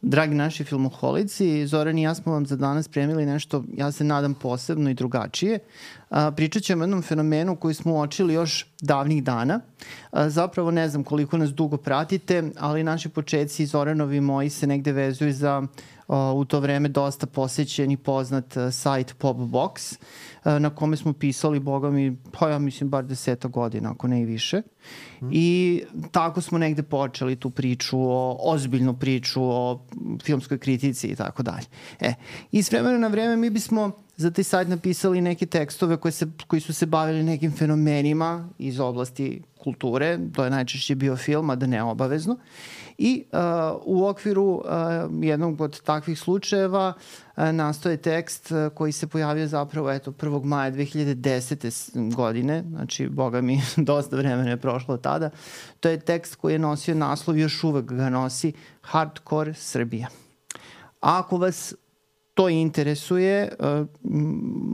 Dragi naši filmoholici, Zoran i ja smo vam za danas spremili nešto, ja se nadam, posebno i drugačije. Pričat ćemo o jednom fenomenu koji smo uočili još davnih dana. Zapravo ne znam koliko nas dugo pratite, ali naši početci, Zoranovi i moji, se negde vezuju za u to vreme dosta posećen i poznat sajt Popbox, na kome smo pisali, boga mi, pa ja mislim bar 10 godina, ako ne i više. I tako smo negde počeli tu priču, ozbiljnu priču o filmskoj kritici i tako dalje. I s vremena na vreme mi bismo za taj sajt napisali neke tekstove koji su se bavili nekim fenomenima iz oblasti kulture, to je najčešće bio film, a da ne obavezno. I u okviru jednog od takvih slučajeva nastao je tekst koji se pojavio zapravo 1. maja 2010. godine, znači, boga mi, dosta vremena je prošlo od tada. To je tekst koji je nosio naslov, još uvek ga nosi, Hardcore Srbija. Ako vas to interesuje,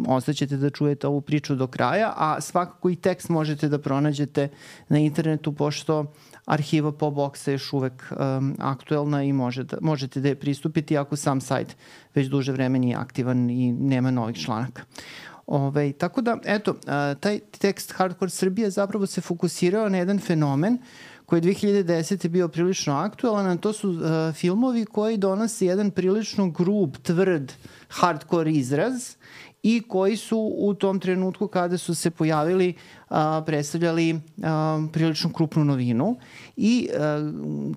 ostaćete da čujete ovu priču do kraja, a svakako i tekst možete da pronađete na internetu, pošto arhiva Popboxa je još uvek aktuelna i možete da je pristupiti ako sam sajt već duže vreme nije aktivan i nema novih članaka. Tako da, eto, taj tekst Hardcore Srbija zapravo se fokusirao na jedan fenomen koji je 2010. bio prilično aktualan, a to su filmovi koji donose jedan prilično grub, tvrd, hardcore izraz i koji su u tom trenutku kada su se pojavili predstavljali prilično krupnu novinu i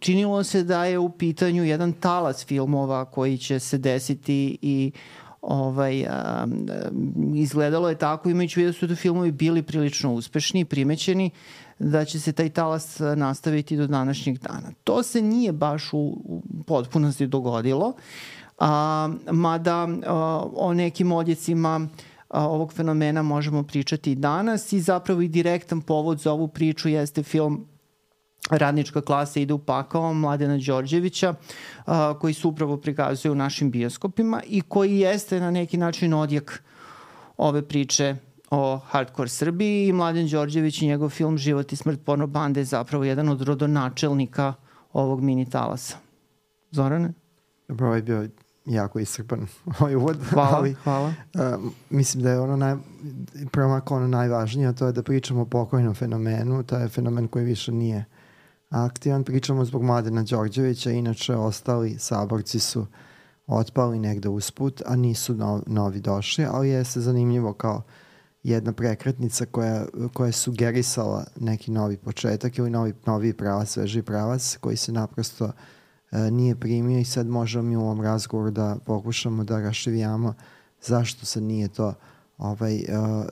činilo se da je u pitanju jedan talas filmova koji će se desiti i izgledalo je tako, imajući vidio su da filmovi bili prilično uspešni i primećeni, da će se taj talas nastaviti do današnjeg dana. To se nije baš u potpunosti dogodilo, mada o nekim odjecima ovog fenomena možemo pričati i danas i zapravo i direktan povod za ovu priču jeste film Radnička klasa ide u pakao Mladena Đorđevića, koji se upravo prikazuje u našim bioskopima i koji jeste na neki način odjek ove priče o Hardcore Srbiji i Mladen Đorđević i njegov film Život i smrt porno bande je zapravo jedan od rodonačelnika ovog mini talasa. Zorane? Dobro, ovo je bio jako iscrpan uvod. Hvala. Mislim da je ono najvažnije, a to je da pričamo o pokojnom fenomenu. To je fenomen koji više nije aktivan. Pričamo zbog Mladena Đorđevića, inače ostali saborci su otpali negde usput, a nisu novi došli, ali je se zanimljivo kao jedna prekretnica koja je sugerisala neki novi početak ili novi pravac, sveži pravac koji se naprosto nije primio i sad možemo mi u ovom razgovoru da pokušamo da rašivijamo zašto se nije to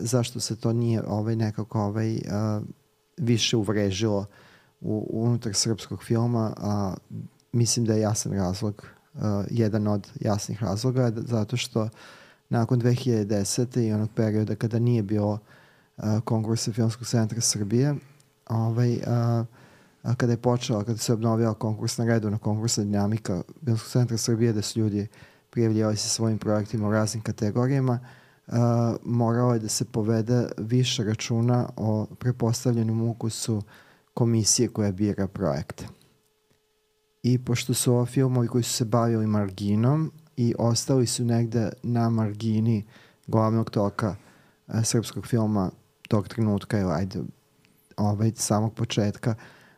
zašto se to nije nekako više uvrežilo unutar srpskog filma, a mislim da je jasan razlog, jedan od jasnih razloga, zato što nakon 2010. i onog perioda kada nije bilo konkursa Filmskog centra Srbije, kada se obnovila konkursna redovna konkursna dinamika Filmskog centra Srbije, da su ljudi prijavljivali se svojim projektima u raznim kategorijama, moralo je da se povede više računa o prepostavljenom ukusu komisije koja bira projekte. I pošto su ovo filmovi koji su se bavili marginom i ostali su negde na margini glavnog toka srpskog filma tog trenutka ili samog početka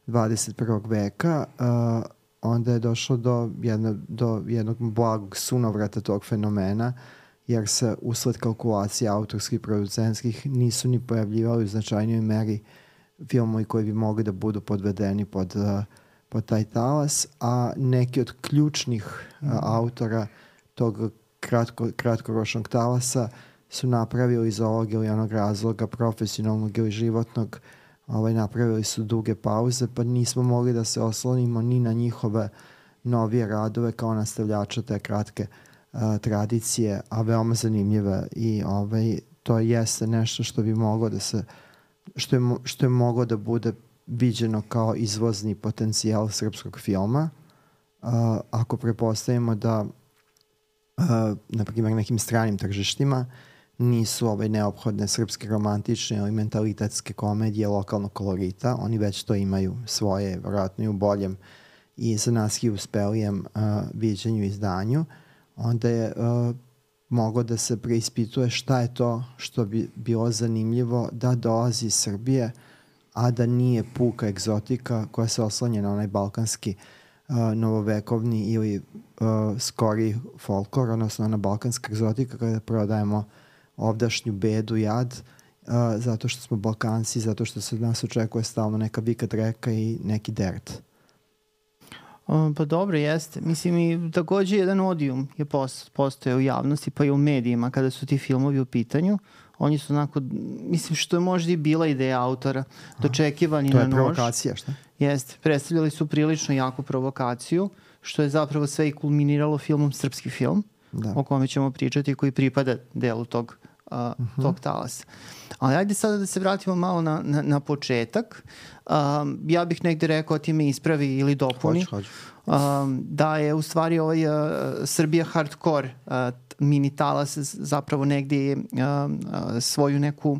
21. veka, onda je došlo do jednog blagog sunovrata tog fenomena, jer se usled kalkulacija autorskih producentskih nisu ni pojavljivali u značajnijoj meri filmovi koji bi mogli da budu podvedeni pod taj talas, a neki od ključnih autora tog kratkoročnog talasa su napravili iz ovog ili onog razloga profesionalnog ili životnog, napravili su duge pauze, pa nismo mogli da se oslonimo ni na njihove novije radove kao nastavljača te kratke tradicije, a veoma zanimljive i to jeste nešto što bi moglo da se što je moglo da bude viđeno kao izvozni potencijal srpskog filma. Ako prepostavimo da na primjer nekim stranim tržištima nisu neophodne srpske romantične ili mentalitetske komedije lokalnog kolorita, oni već to imaju svoje, vjerojatno i u boljem i za nas uspelijem viđenju i izdanju, onda je moglo da se preispituje šta je to što bi bilo zanimljivo da dolazi iz Srbije, a da nije puka egzotika koja se oslanja na onaj balkanski novovekovni ili skori folklor, odnosno ona balkanska egzotika kada prodajemo ovdašnju bedu, jad, zato što smo Balkanci, zato što se od nas očekuje stalno neka vika dreka i neki dert. Pa dobro, jeste. Mislim, i takođe jedan odijum je postoje u javnosti, pa i u medijima kada su ti filmovi u pitanju. Oni su onako, mislim, što je možda i bila ideja autora, dočekivani na nož. To je provokacija, šta? Jeste. Predstavljali su prilično jaku provokaciju, što je zapravo sve i kulminiralo filmom Srpski film, o kome ćemo pričati, koji pripada delu tog talasa. Ali ajde sada da se vratimo malo na početak. Ja bih negde rekao, ti me ispravi ili dopuni, da je u stvari ovaj Srbija hardcore mini talas zapravo negde svoju neku,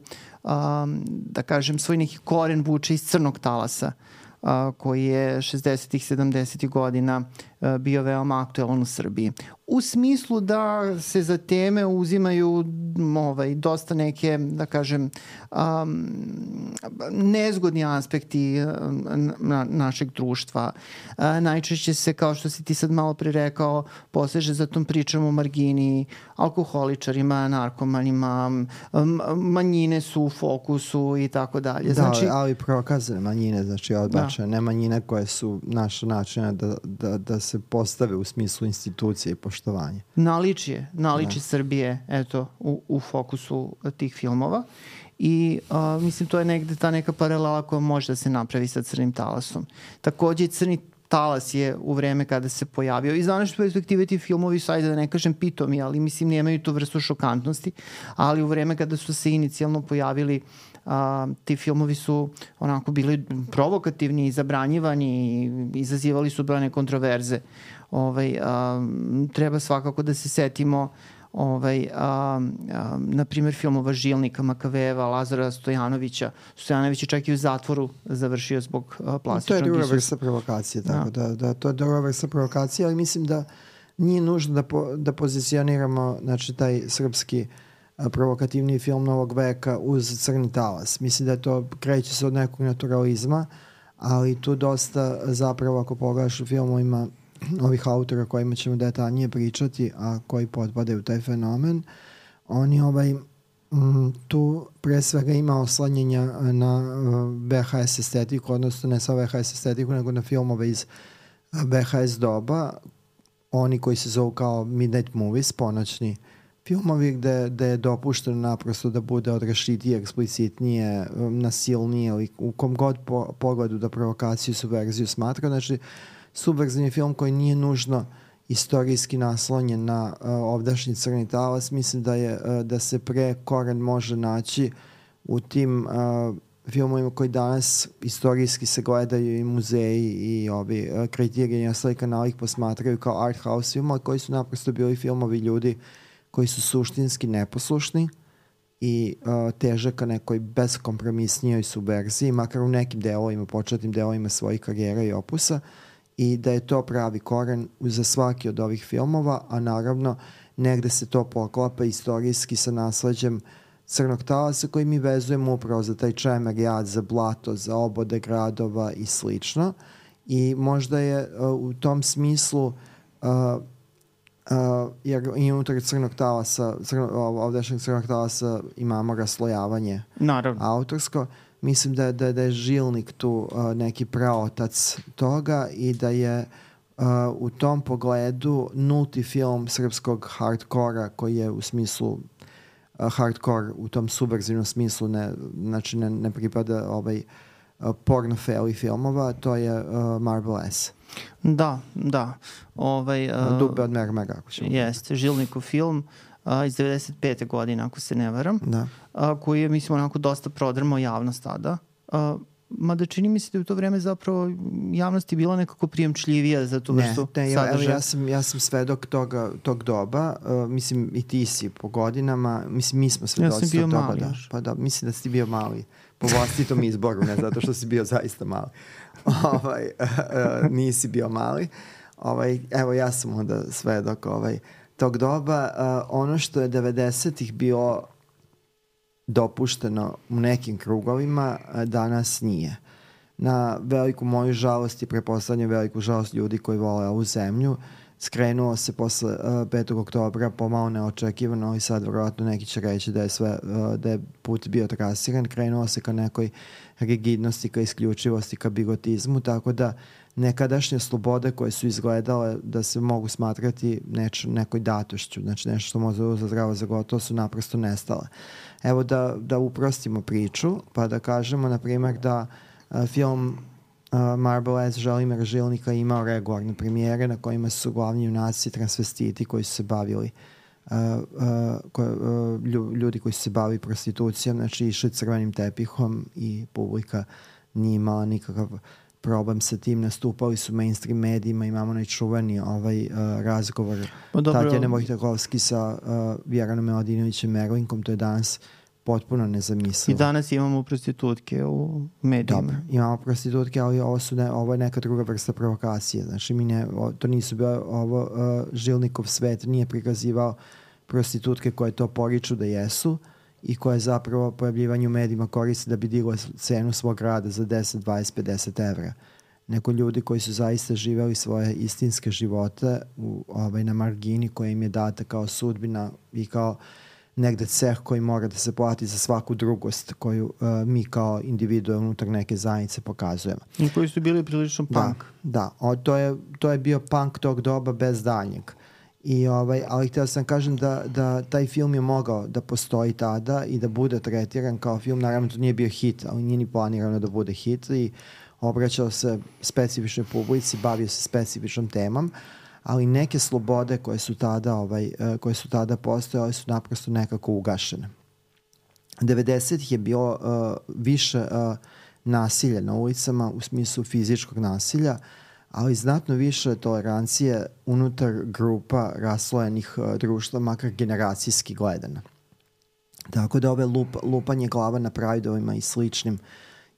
da kažem, svoj neki koren vuče iz crnog talasa, koji je 60-ih, 70-ih godina bio veoma aktuelan u Srbiji. U smislu da se za teme uzimaju dosta neke, da kažem, nezgodni aspekti našeg društva. Najčešće se, kao što si ti sad malo pre rekao, poseže za tom pričom o margini, alkoholičarima, narkomanima, manjine su u fokusu i tako dalje. Znači, ali prokazane manjine, znači odbačene, ne manjine koje su naša načina da se postave u smislu institucije i poštovanja. Naličje Srbije, eto, u fokusu tih filmova. I mislim, to je negde ta neka paralela koja može da se napravi sa crnim talasom. Takođe, crni talas je u vreme kada se pojavio. Iz današnje perspektive ti filmovi su, ajde da ne kažem pitomi, ali mislim nemaju tu vrstu šokantnosti, ali u vreme kada su se inicijalno pojavili, ti filmovi su onako bili provokativni i zabranjivani i izazivali su brojne kontroverze. Treba svakako da se setimo na primjer filmova Žilnika, Makaveva, Lazara Stojanovića. Stojanović je čak i u zatvoru završio zbog plastičnog To je druga vrsta provokacije, tako da to je druga vrsta provokacije, ali mislim da nije nužno da pozicioniramo, znači, taj srpski provokativni film novog veka uz crni talas. Mislim da je to, kreće se od nekog naturalizma, ali tu dosta zapravo, ako pogledaš u filmovima ovih autora kojima ćemo detaljnije pričati, a koji potpadaju u taj fenomen, oni tu pre svega ima oslanjenja na VHS estetiku, odnosno ne sa VHS estetiku, nego na filmove iz VHS doba, oni koji se zovu kao Midnight Movies, ponoćni filmovi gde je dopušteno naprosto da bude odrešitije, eksplicitnije, nasilnije, ili u kom god pogledu da provokaciju, subverziju smatra. Znači, subverzivni film koji nije nužno istorijski naslonjen na ovdašnji crni talas, mislim da se pre koren može naći u tim filmovima koji danas istorijski se gledaju i muzeji i ovi kriteriji i ostali kanali ih posmatraju kao art house filmova, koji su naprosto bili filmovi ljudi koji su suštinski neposlušni i teže ka nekoj beskompromisnijoj subverziji, makar u nekim delovima, početnim delovima svojih karijera i opusa, i da je to pravi koren za svaki od ovih filmova, a naravno negde se to poklapa istorijski sa nasleđem crnog talasa koji mi vezujemo upravo za taj čemer jad, za blato, za obode gradova i slično. I možda je u tom smislu jer i unutar crnog talasa, ovdašnjeg crnog talasa imamo raslojavanje autorsko. Mislim da je Žilnik tu neki praotac toga i da je u tom pogledu nulti film srpskog hardkora koji je u smislu hardcore u tom subverzivnom smislu ne pripada porno feli filmova, to je Marble S. Da. Dube od Mermera, ako ćemo. Jeste, Žilnikov film iz 95. godine, ako se ne varam, koji je, mislim, onako dosta prodrmao javnost tada. mada čini mi se da je u to vreme zapravo javnost je bila nekako prijemčljivija za tu vrstu sadržaja. Ja sam svedok tog doba, mislim i ti si po godinama, mislim mi smo svedoci tog doba. Pa da, mislim da si bio mali po vlastitom izboru, ne zato što si bio zaista mali. Nisi bio mali. Evo ja sam onda svedok tog doba. Ono što je 90-ih bilo dopušteno u nekim krugovima, danas nije. Na veliku moju žalost i preposlednju veliku žalost ljudi koji vole ovu zemlju, skrenuo se posle 5. oktobra pomalo neočekivano i sad vjerojatno neki će reći da je put bio trasiran, krenuo se ka nekoj rigidnosti, ka isključivosti, ka bigotizmu, tako da nekadašnje slobode koje su izgledale da se mogu smatrati nekoj datošću, znači nešto što može uzeti zdravo za gotovo, su naprosto nestale. Evo da uprostimo priču, pa da kažemo, na primjer, da film Marble S. Želimira Žilnika imao regularne premijere na kojima su glavni junaci transvestiti koji su se bavili ljudi koji su se bavili prostitucijom, znači išli crvenim tepihom i publika nije imala nikakav problem sa tim, nastupali su mainstream medijima, imamo najčuveni razgovor Tatjane Vojtehovski sa Vjeranom Miladinovićem Merlinkom, to je danas potpuno nezamislivo. I danas imamo prostitutke u medijima. Dobro, imamo prostitutke, ali ovo je neka druga vrsta provokacije. Znači, to nisu bile, Žilnikov svet nije prikazivao prostitutke koje to poriču da jesu i koje zapravo pojavljivanje u medijima koriste da bi diglo cenu svog rada za 10, 20, 50 evra. Neko ljudi koji su zaista živeli svoje istinske živote na margini koja im je data kao sudbina i kao negde ceh koji mora da se plati za svaku drugost koju mi kao individue unutar neke zajednice pokazujemo. I koji su bili prilično punk. Da. To je bio punk tog doba bez daljnjeg. Ali htio sam kažem da taj film je mogao da postoji tada i da bude tretiran kao film. Naravno to nije bio hit, ali nije ni planirano da bude hit i obraćao se specifičnoj publici, bavio se specifičnom temom, ali neke slobode koje su tada postojale su naprosto nekako ugašene. 90-ih je bilo više nasilja na ulicama u smislu fizičkog nasilja, ali znatno više tolerancije unutar grupa raslojenih društva, makar generacijski gledano. Tako da ove lupanje glava na prajdovima i sličnim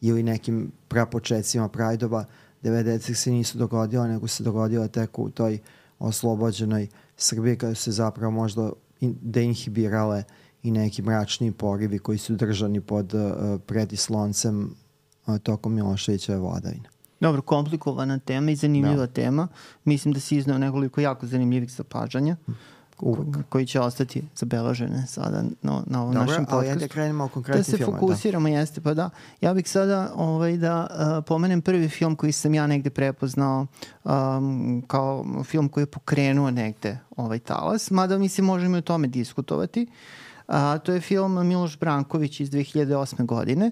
ili nekim prapočecima prajdova 90-ih se nisu dogodile, nego se dogodile tek u toj oslobođenoj Srbiji kada su se zapravo možda deinhibirale i neki mračni porivi koji su držani pod pretisloncem tokom Miloševićeve vladavine. Dobro, komplikovana tema i zanimljiva tema. Mislim da si izneo nekoliko jako zanimljivih zapažanja koji će ostati zabeležene sada na ovom našem podcastu. Ali da krenemo o konkretnim filmima. Da se fokusiramo, jeste, pa da. Ja bih sada da pomenem prvi film koji sam ja negde prepoznao kao film koji je pokrenuo negde ovaj talas, mada mislim možemo i o tome diskutovati. To je film Miloš Branković iz 2008. godine.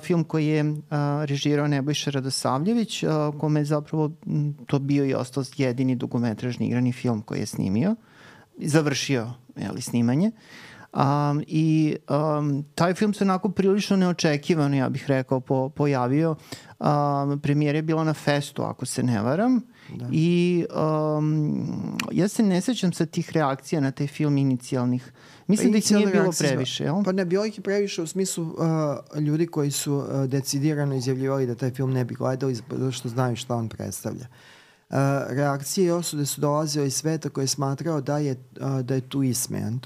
Film koji je režirao Nebojša Radosavljević, kome je zapravo to bio i ostao jedini dugometražni igrani film koji je snimio. Završio snimanje. Taj film se onako prilično neočekivano, ja bih rekao, pojavio. Premijera je bila na Festu, ako se ne varam. Da. I ja se ne sećam sa tih reakcija na taj film inicijalnih. Mislim da ih nije bilo previše, jel? Pa ne, bilo ih je previše u smislu ljudi koji su decidirano izjavljivali da taj film ne bi gledali zato što znaju šta on predstavlja. Reakcije i osude su dolazile iz sveta koji je smatrao da je tu ismejan.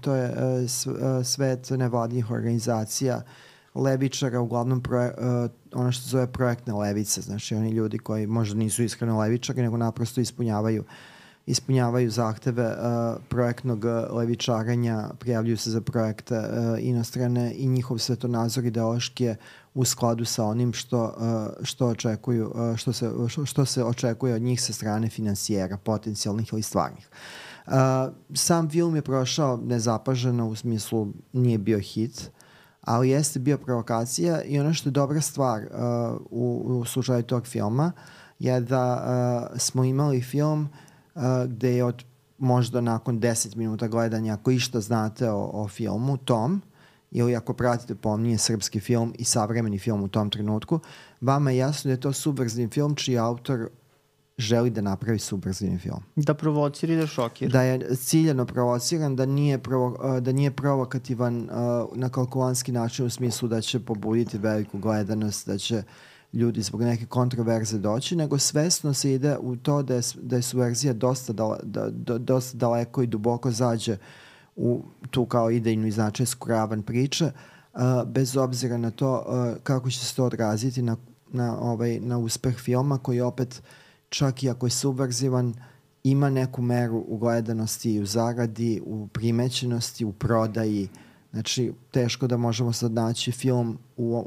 To je svet nevladnih organizacija, levičara, uglavnom ono što se zove projektne levice, znači oni ljudi koji možda nisu iskreno levičari, nego naprosto ispunjavaju zahteve projektnog levičaranja, prijavljuju se za projekte inostrane i njihov svetonazor ideološki je u skladu sa onim što se očekuje od njih sa strane finansijera, potencijalnih ili stvarnih. Sam film je prošao nezapaženo, u smislu nije bio hit, ali jeste bio provokacija i ono što je dobra stvar u slučaju tog filma je da smo imali film gde je možda nakon 10 minuta gledanja, ako išta znate o filmu tom, ili ako pratite pomnije srpski film i savremeni film u tom trenutku, vama je jasno da je to subverzivni film čiji autor želi da napravi subverzivni film. Da provocira i da šokira. Da je ciljano provociran, da nije provokativan na kalkulantski način u smislu da će pobuditi veliku gledanost, da će ljudi zbog neke kontroverze doći, nego svesno se ide u to da je subverzija dosta daleko i duboko zađe u tu kao idejnu i značajsku ravan priče, bez obzira na to kako će se to odraziti na uspeh filma, koji opet, čak i ako je subverzivan, ima neku meru u gledanosti, u zaradi, u primećenosti, u prodaji. Znači, teško da možemo sad naći film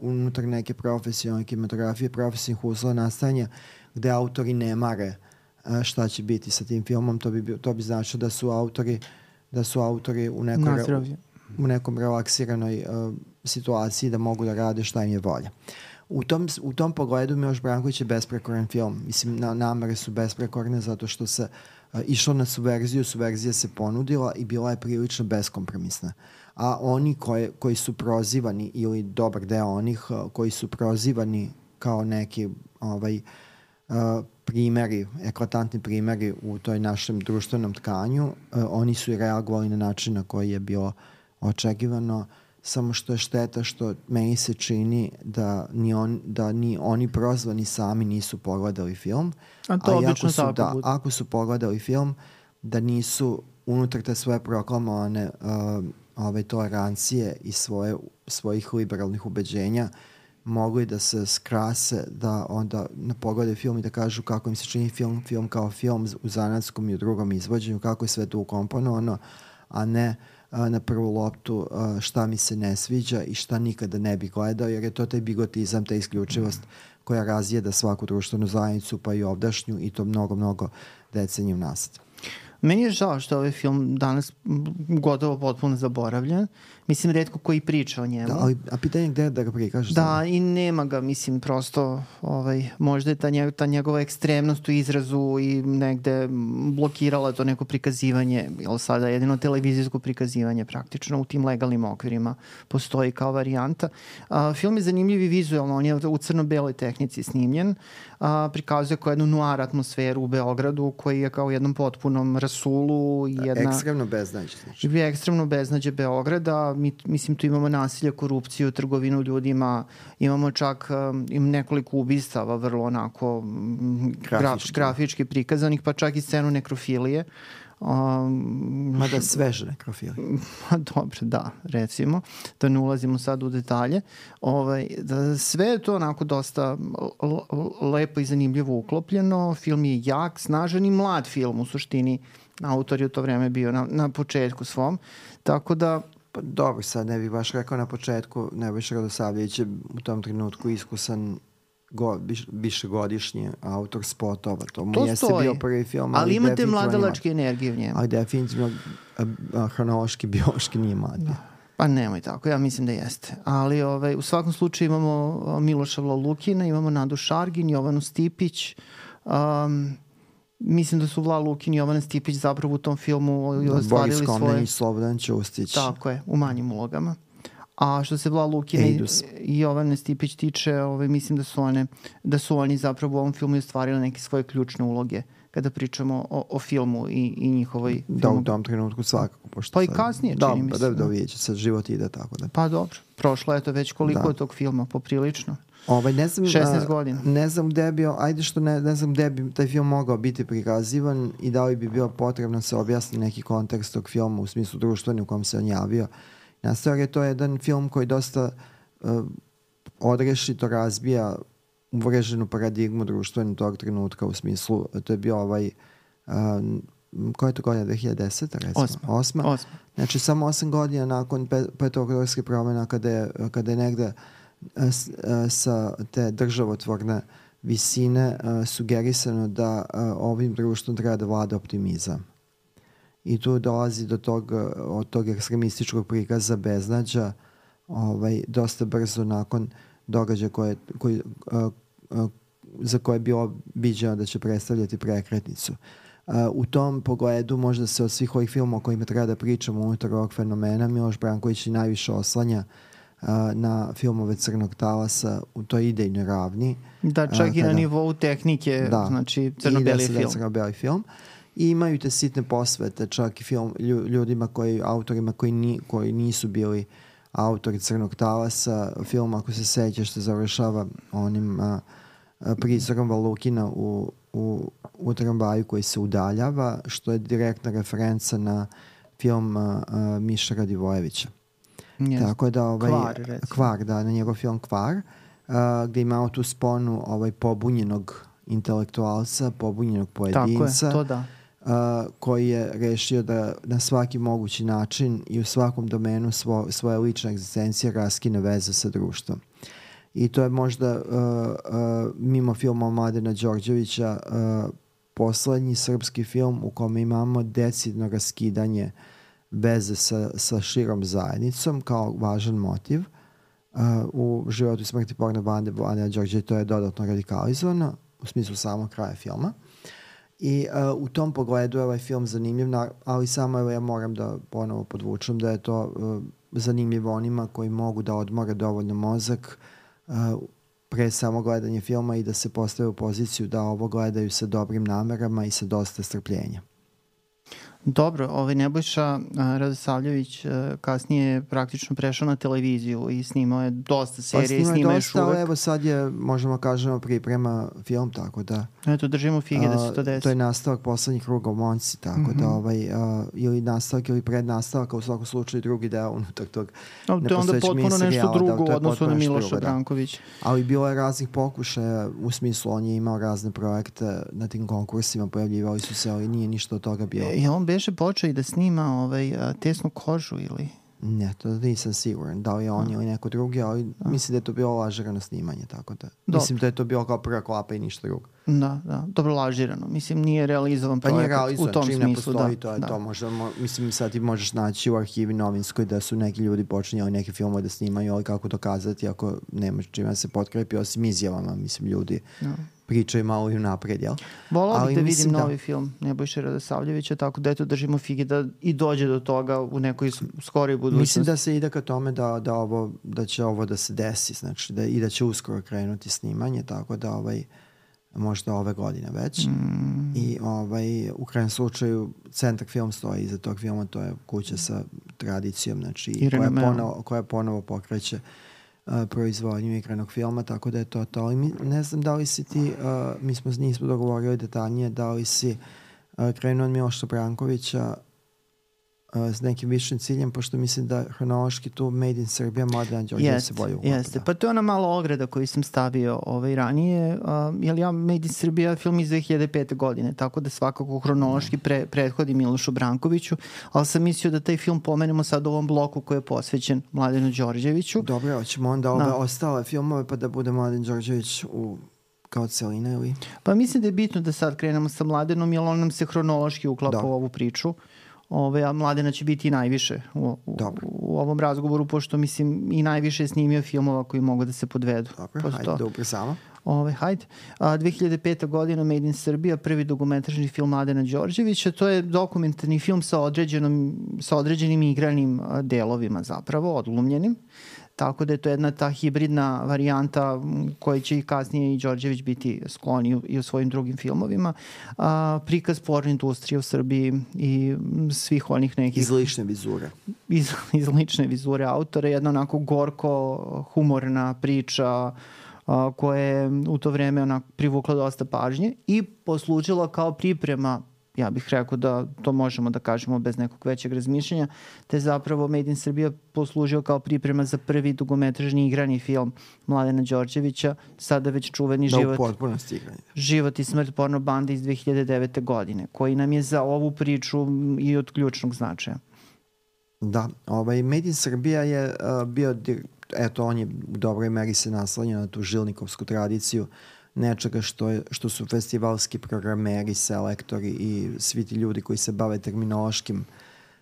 unutar neke profesionalne kinematografije, profesionalnih uslova nastajanja, gde autori ne mare šta će biti sa tim filmom. To bi značilo da su autori u nekom relaksiranoj situaciji, da mogu da rade šta im je volja. U tom pogledu Miloš Branković je besprekoran film. Mislim, namere su besprekorne zato što se išlo na subverziju, subverzija se ponudila i bila je prilično beskompromisna. A oni koji su prozivani, ili dobar deo onih koji su prozivani kao neki primeri, eklatantni primeri u toj našem društvenom tkanju, oni su i reagovali na način na koji je bilo očekivano, samo što je šteta što meni se čini da ni oni prozvani sami nisu pogledali film. A to obično tako bude. Ako su pogledali film, da nisu unutar te svoje proklamovane tolerancije i svojih liberalnih ubeđenja mogli da se skrase, da onda pogledaju film i da kažu kako im se čini film kao film u zanatskom i u drugom izvođenju, kako je sve to ukomponovano, a ne na prvu loptu šta mi se ne sviđa i šta nikada ne bi gledao, jer je to taj bigotizam, ta isključivost koja razjeda svaku društvenu zajednicu, pa i ovdašnju, i to mnogo, mnogo deceniju nazad. Meni je žao što ovaj film danas gotovo potpuno zaboravljen. Mislim, retko koji priča o njemu. Da, a pitanje je gde da ga prikažeš? Da, i nema ga, mislim, prosto možda je ta njegova ekstremnost u izrazu i negde blokirala to neko prikazivanje, jer sada jedino televizijsko prikazivanje praktično u tim legalnim okvirima postoji kao varijanta. Film je zanimljiv i vizualno, on je u crno-beloj tehnici snimljen, prikazuje kao jednu noir atmosferu u Beogradu, koji je kao u jednom potpunom rasulu. Ekstremno beznađe. Znači. Ekstremno beznađe Beograda. Mislim, tu imamo nasilje, korupciju, trgovinu ljudima, imamo čak nekoliko ubistava vrlo onako grafički prikazanih, pa čak i scenu nekrofilije. Mada sveže nekrofilije. Dobro, da, recimo. Da ne ulazimo sad u detalje. Sve je to onako dosta lepo i zanimljivo uklopljeno. Film je jak, snažan i mlad film u suštini. Autor je u to vreme bio na početku svom. Tako da pa dobro, sad ne bih baš rekao na početku, Nebojša Radosavljević je u tom trenutku iskusan višegodišnji autor spotova. To mu jeste bio prvi film. Ali imate mladalačke energije u njemu. Ali definitivno hronološki, biološki nije mlad. Pa nemoj tako, ja mislim da jeste. Ali u svakom slučaju imamo Miloša Vlalukina, imamo Nadu Šargin, Jovanu Stipić, mislim da su Vla Lukin i Jovana Stipić zapravo u tom filmu ostvarili svoje... Boris Komnenić, Slobodan Ćustić. Tako je, u manjim ulogama. A što se Vla Lukina i Jovane Stipić tiče, mislim da su oni zapravo u ovom filmu ostvarili neke svoje ključne uloge kada pričamo o filmu i njihovoj... Da, u tom trenutku svakako. Pa i kasnije, čini mi se. Da, vidjet će se, život ide tako da. Pa dobro, prošlo je to već koliko je tog filma, poprilično. Ne znam, 16 godina. Ne znam gde bi, ne znam gde bi taj film mogao biti prikazivan i da li bi bio potrebno se objasni neki kontekst tog filma u smislu društveni u kom se on javio. Na stvari to je jedan film koji dosta odrešito razbija uvreženu paradigmu društvenu tog trenutka u smislu, to je bio koja je to godina, 2010. recimo? 8. Znači samo 8 godina nakon petooktobarskih promjena kada je negde sa te državotvorne visine sugerisano da ovim društvom treba da vlada optimizam. I tu dolazi od tog ekstremističkog prikaza beznađa dosta brzo nakon događaja za koje je bilo viđeno da će predstavljati prekretnicu. U tom pogledu možda se od svih ovih filmova o kojima treba da pričamo unutar ovog fenomena Miloš Branković i najviše oslanja na filmove Crnog talasa u toj idejnoj ravni. Da, čak i na nivou tehnike, znači crno-beli film. Crno-beli film. I imaju te sitne posvete, čak i film ljudima autorima koji nisu bili autori Crnog talasa. Film, ako se sećaš, što završava onim prizorom Valukina u tramvaju koji se udaljava, što je direktna referenca na film Miša Radivojevića. Yes. Tako da Kvar, na njegov film Kvar, gde imamo tu sponu pobunjenog intelektualca, pobunjenog pojedinca. Tako je, to da. Koji je rešio da na svaki mogući način i u svakom domenu svoje lične egzistencije raskine veze sa društvom. I to je možda mimo filma Mladena Đorđevića poslednji srpski film u kome imamo decidno raskidanje veze sa širom zajednicom kao važan motiv. U Životu i smrti porno bande Mladena Đorđevića to je dodatno radikalizovano u smislu samog kraja filma. I u tom pogledu je ovaj film zanimljiv, ali samo ja moram da ponovo podvučem da je to zanimljivo onima koji mogu da odmore dovoljno mozak pre samo gledanje filma i da se postave u poziciju da ovo gledaju sa dobrim namerama i sa dosta strpljenja. Dobro, Nebojša Radosavljević kasnije je praktično prešao na televiziju i snimao je dosta serije i snima još uvek. Evo sad je, možemo kažemo, priprema film, tako da... Eto, držimo fige da se to desi. To je nastavak poslednjih Kruga u Monci, tako da ili nastavak ili prednastavak, u svakom slučaju drugi deo unutar tog nepostojećeg miniserijala. To je onda potpuno nešto drugo u odnosu na Miloša Brankovića. Ali bilo je raznih pokušaja, u smislu on je imao razne projekte na tim konkursima, pojavljivali su se, ali nije ništa od toga bilo. Je on beše počeo i da snima Tesnu kožu ili... Ne, to nisam siguran. Da li je on ili neko drugi, ali mislim da je to bilo lažirano snimanje, tako da... Mislim da je to bilo kao prva klapa i ništa drugo. Da. Dobro lažirano. Mislim, nije realizovan projekat u tom smislu. Pa nije realizovan, čim ne postoji, to je to. Mislim, sad ti možeš naći u arhivi novinskoj da su neki ljudi počinjali neke filmove da snimaju, ali kako dokazati ako nemaš čime se potkrepi, osim izjavama, mislim, ljudi pričaju malo i napred, jel? Volao bih da vidim novi film Nebojše Radosavljevića, tako da eto držimo fige da i dođe do toga u nekoj skoroj budućnosti. Mislim da se ide ka tome da će ovo da se desi, znači i da će uskoro krenuti snimanje, tako da možda ove godine već. I u krajem slučaju centar film stoji iza tog filma, to je kuća sa tradicijom, znači koja ponovo pokreće proizvodnju igranog filma, tako da je to. Ali ne znam da li si ti, nismo dogovorili detaljnije, da li si krenuo od Miloša Brankovića s nekim višim ciljem, pošto mislim da hronološki tu Made in Serbia, Mladen Đorđević se bolje uklapa. Jeste, pa to je ona mala ograda koju sam stavio ranije, jer ja Made in Serbia film iz 2005. godine, tako da svakako hronološki prethodi Milošu Brankoviću, ali sam mislio da taj film pomenemo sad u ovom bloku koji je posvećen Mladenu Đorđeviću. Dobro, hoćemo onda ove ostale filmove pa da bude Mladen Đorđević kao celina ili? Pa mislim da je bitno da sad krenemo sa Mladenom, jer on nam se hronološki uklapa u ovu priču. A Mladena će biti i najviše u ovom razgovoru, pošto mislim i najviše je snimio filmova koji mogu da se podvedu. Dobro, hajde da ubrzamo. Hajde. 2005. godina Made in Serbia, prvi dokumentarni film Mladena Đorđevića. To je dokumentarni film sa određenim igranim delovima zapravo, odglumljenim. Tako da je to jedna ta hibridna varijanta koja će i kasnije i Đorđević biti skloni i u svojim drugim filmovima. Prikaz porno industrije u Srbiji i svih onih nekih... Iz lične vizure. Iz lične vizure autora. Jedna onako gorko humorna priča koja je u to vreme privukla dosta pažnje i poslužila kao priprema, ja bih rekao da to možemo da kažemo bez nekog većeg razmišljanja, te zapravo Made in Serbia poslužio kao priprema za prvi dugometražni igrani film Mladena Đorđevića, sada već čuveni Život i smrt porno bande iz 2009. godine, koji nam je za ovu priču i od ključnog značaja. Da, Made in Serbia je bio, on je u dobroj meri se naslanjao na tu žilnikovsku tradiciju nečega što su festivalski programeri, selektori i svi ti ljudi koji se bave terminološkim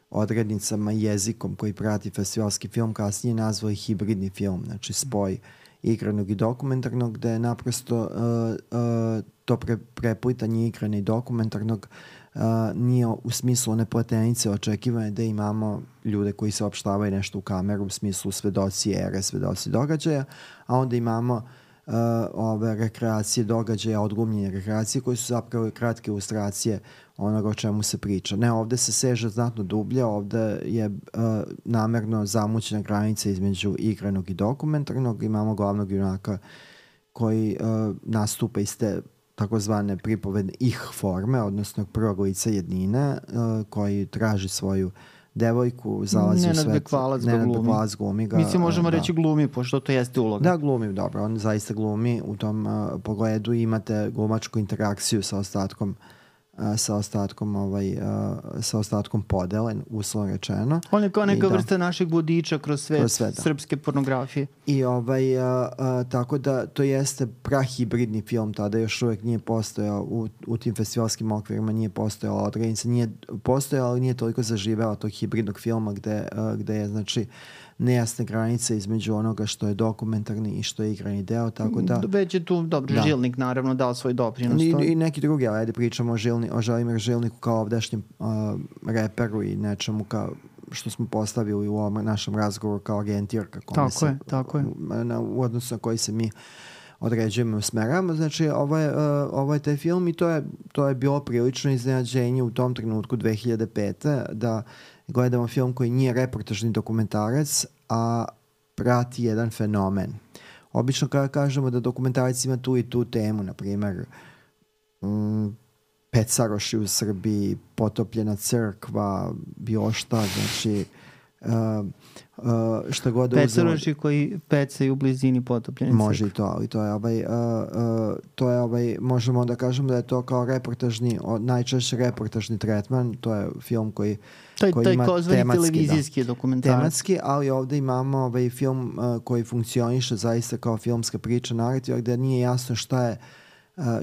odrednicama i jezikom koji prati festivalski film kasnije nazvali hibridni film, znači spoj igranog i dokumentarnog, gde je naprosto to preplitanje igrane i dokumentarnog nije u smislu one platenice očekivane da imamo ljude koji se opštavaju nešto u kameru u smislu svedoci ere, svedoci događaja, a onda imamo ove rekreacije događaja, odglumljenje rekreacije koje su zapravo kratke ilustracije onoga o čemu se priča. Ne, ovde se seže znatno dublje, ovde je namerno zamućena granica između igranog i dokumentarnog. Imamo glavnog junaka koji nastupa iz te takozvane pripovedne forme, odnosno prvog lica jednine, koji traži svoju devojku, zalazi u svet. Nenad Bekvalac glumi ga. Mislim, možemo reći glumi, pošto to jeste uloga. Da, glumi, dobro. On zaista glumi u tom pogledu. Imate glumačku interakciju sa ostatkom podele, uslovno rečeno. On je kao neka vrsta našeg vodiča kroz svet srpske pornografije. I tako da to jeste prahibridni film, tada još uvek nije postojao u tim festivalskim okvirima, nije postojala odrednica, nije postojala, ali nije toliko zaživela tog hibridnog filma gde je znači nejasne granice između onoga što je dokumentarni i što je igrani deo, tako da... Već je tu, dobro, Žilnik naravno dao svoj doprinos. I neki drugi, ali ajde pričamo o Želimir Žilniku kao ovdašnjem reperu i nečemu kao što smo postavili u ovom našem razgovoru kao agentirka. Tako je. U odnosu na koji se mi određujemo i usmeravamo. Znači, ovo je taj film i to je bilo prilično iznenađenje u tom trenutku 2005. da gledamo film koji nije reportažni dokumentarac, a prati jedan fenomen. Obično kada kažemo da dokumentarac ima tu i tu temu, na primer Pecaroši u Srbiji, potopljena crkva, bilo šta, znači šta god da uzelo. Pecaroši koji pecaju u blizini potopljene crkve. Može i to, ali to je možemo da kažemo da je to kao reportažni, najčešće reportažni tretman, to je film koji ima televizijski dokumentarac. Tematski, ali ovde imamo film koji funkcioniše zaista kao filmska priča, narativa, gde nije jasno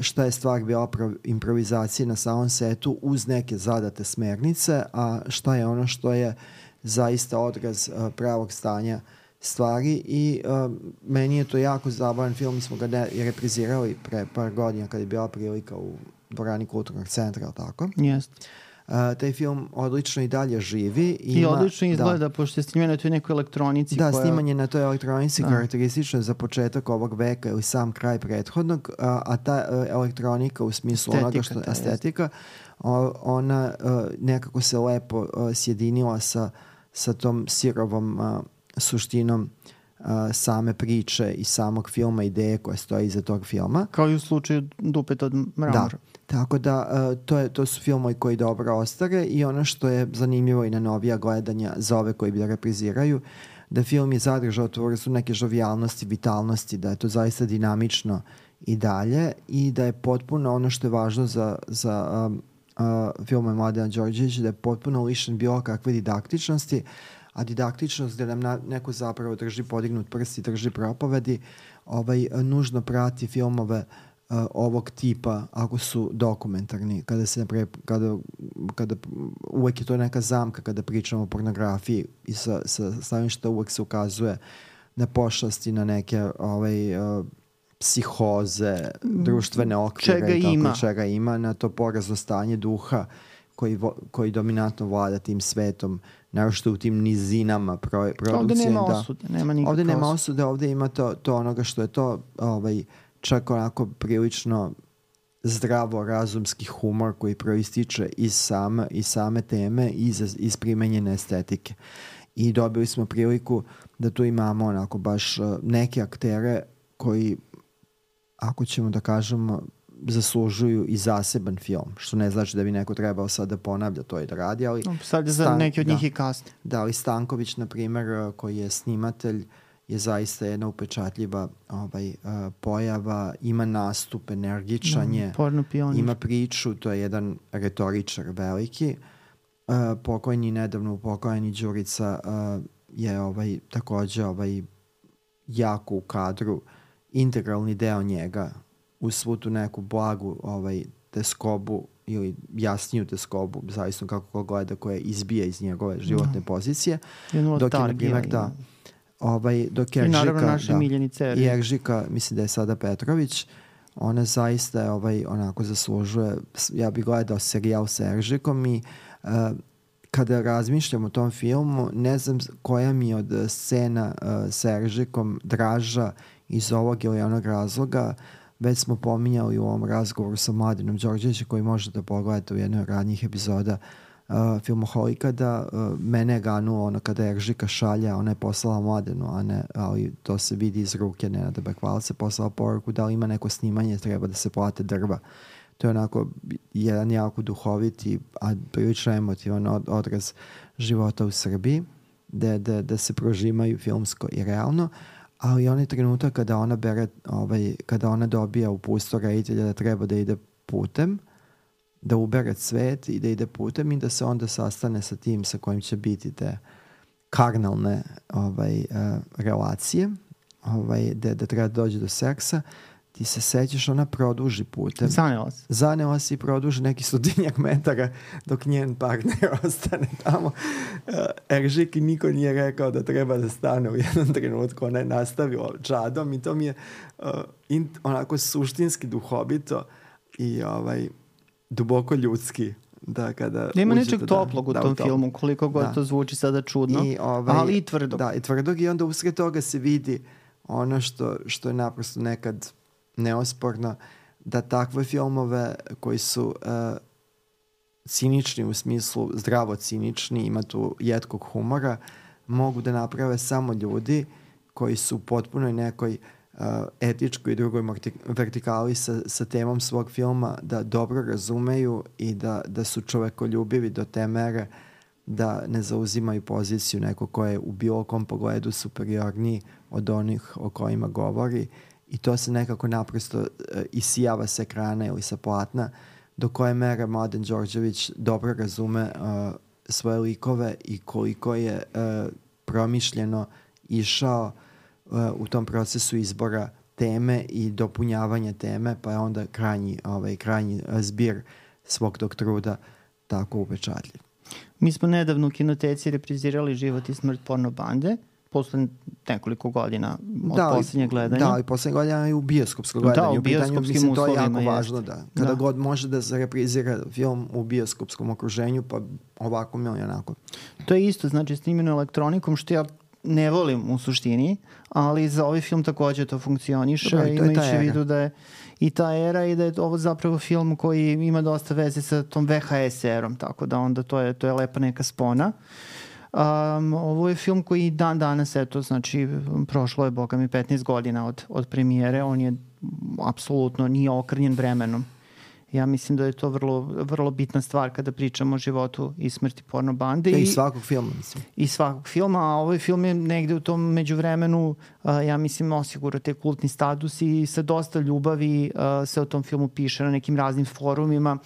šta je stvar bila improvizacije na samom setu uz neke zadate smernice, a šta je ono što je zaista odraz pravog stanja stvari i meni je to jako zabavan film. Mi smo ga reprizirali pre par godina kada je bila prilika u dvorani Kulturnog centra, ali tako? Jeste. Taj film odlično i dalje živi. I odlično izgleda, pošto je snimljeno na toj nekoj elektronici. Da, snimanje na toj elektronici karakteristično za početak ovog veka ili sam kraj prethodnog, a ta elektronika u smislu onoga što je estetika, ona nekako se lepo sjedinila sa tom sirovom suštinom same priče i samog filma, ideje koja stoji iza tog filma. Kao i u slučaju Dupet od mramora. Da, tako da to su filmovi koji dobro ostare i ono što je zanimljivo i na novija gledanja za ove koji bi da repriziraju, da film je zadržao tu vrstu neke žovijalnosti, vitalnosti, da je to zaista dinamično i dalje i da je potpuno ono što je važno za filmove Mladena Đorđevića, da je potpuno lišen bilo kakve didaktičnosti, a didaktičnost gde nam neko zapravo drži podignut prst i drži propovedi, nužno prati filmove ovog tipa ako su dokumentarni, kada uvek je to neka zamka kada pričamo o pornografiji i sa stanovišta uvek se ukazuje na pošasti, na neke psihoze, društvene okvire čega ima, na to porazno stanje duha koji dominantno vlada tim svetom, naročito u tim nizinama produkcije. Ovde nema osude, nema nikakve ovde nema osude, ovde ima to onoga što je to čak onako prilično zdravo razumski humor koji proističe iz same teme i iz primenjene estetike. I dobili smo priliku da tu imamo onako baš neke aktere koji, ako ćemo da kažemo, zaslužuju i zaseban film, što ne znači da bi neko trebao sad da ponavlja to i da radi, ali... Sad je za neki od njih i kasni. Da, ali Stanković, na primer, koji je snimatelj, je zaista jedna upečatljiva pojava, ima nastup, energičan je, ima priču, to je jedan retoričar veliki. Pokojni, nedavno upokojeni Đurica je takođe jako u kadru, integralni deo njega, uz svu tu neku blagu teskobu ili jasniju teskobu, zavisno kako ko gleda, koja izbija iz njegove životne pozicije. Dok je, na primjer, dok i naravno naše miljeni Ceri. I Eržika, mislim da je sada Petrović, Ona zaista onako zaslužuje, ja bih gledao serijal sa Eržikom i kada razmišljam o tom filmu, ne znam koja mi od scena sa Eržikom draža iz ovog ili onog razloga. Već smo pominjali u ovom razgovoru sa Mladenom Đorđevićem, koji možete pogledati u jednoj od ranijih epizoda Filmoholika, da mene je ganulo ono kada Eržika šalja, ona je poslala Mladenu, ali to se vidi iz ruke Nenada Bekvalca, poslala poruku da li ima neko snimanje, treba da se plate drva. To je onako jedan jako duhoviti, a prilično emotivan odraz života u Srbiji, da se prožimaju filmsko i realno, ali onaj trenutak kada ona dobija upustvo reditelja da treba da ide putem, da ubere svet i da ide putem i da se onda sastane sa tim sa kojim će biti te karnalne relacije, da treba da dođe do seksa, ti se sećaš, ona produži putem. Zanela se i produži neki 100 metara dok njen partner ostane tamo. Eržik i niko nije rekao da treba da stane u jednom trenutku. Ona je nastavila čadom i to mi je onako suštinski duhovito i duboko ljudski. Da, kada ima nečeg toplog u tom filmu, koliko god to zvuči sada čudno, ali i tvrdog. Da, i tvrdog, i onda usred toga se vidi ono što je naprosto nekad neosporno, da takve filmove koji su cinični u smislu zdravo cinični, ima tu jetkog humora, mogu da naprave samo ljudi koji su u potpunoj nekoj etičkoj i drugoj vertikali sa temom svog filma, da dobro razumeju i da su čovekoljubivi do te mere da ne zauzimaju poziciju neko ko je u bilo kom pogledu superiorniji od onih o kojima govori, i to se nekako naprosto isijava sa ekrana ili sa platna, do koje mere Mladen Đorđević dobro razume svoje likove i koliko je promišljeno išao u tom procesu izbora teme i dopunjavanja teme, pa je onda krajnji zbir svog tog truda tako upečatljiv. Mi smo nedavno u Kinoteci reprizirali Život i smrt porno bande, posle nekoliko godina od poslednjeg gledanja. Da, i poslednjeg godina i u bioskopskom gledanju. Da, u bioskopskim uslovima. To je jako važno, da. Kada god može da se reprizira film u bioskopskom okruženju, pa ovako ili onako. To je isto, znači snimljeno elektronikom, što ja ne volim u suštini, ali za ovaj film takođe to funkcioniše, imajući u vidu da je i ta era i da je ovo zapravo film koji ima dosta veze sa tom VHS erom, tako da onda to je lepa neka spona. Ovo je film koji dan danas, znači prošlo je, boga mi, 15 godina od premijere, on je apsolutno nije okrnjen vremenom. Ja mislim da je to vrlo bitna stvar kada pričamo o životu i smrti porno bande. I svakog filma, mislim. I svakog filma, a ovaj film je negde u tom međuvremenu, ja mislim, osigurao te kultni status i sa dosta ljubavi se o tom filmu piše na nekim raznim forumima,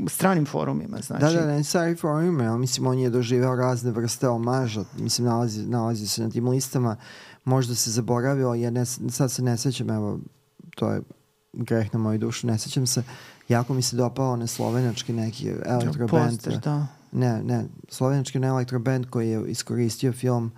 stranim forumima, znači. Da, ne stari forumima, ja mislim, on je doživeo razne vrste omaža, mislim, nalazi se na tim listama, možda se zaboravio, sad se ne sećam, evo, to je greh na moju dušu, ne sećam se, jako mi se dopao onaj slovenački neki elektroband. Ne, slovenački elektroband koji je iskoristio film,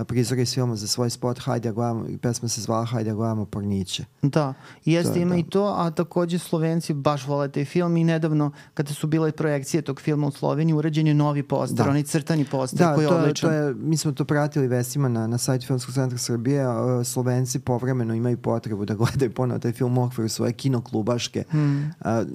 prizor iz filma za svoj spot, hajde gledamo, pesma se zvala Hajde gledamo porniće. Da, jeste, ima i to, a takođe Slovenci baš vole taj film i nedavno kada su bile projekcije tog filma u Sloveniji, urađen je novi poster, onaj crtani poster koji je odličan. Mi smo to pratili vestima na sajtu Filmskog centra Srbije, Slovenci povremeno imaju potrebu da gledaju ponovo taj film u okviru svoje kinoklubaške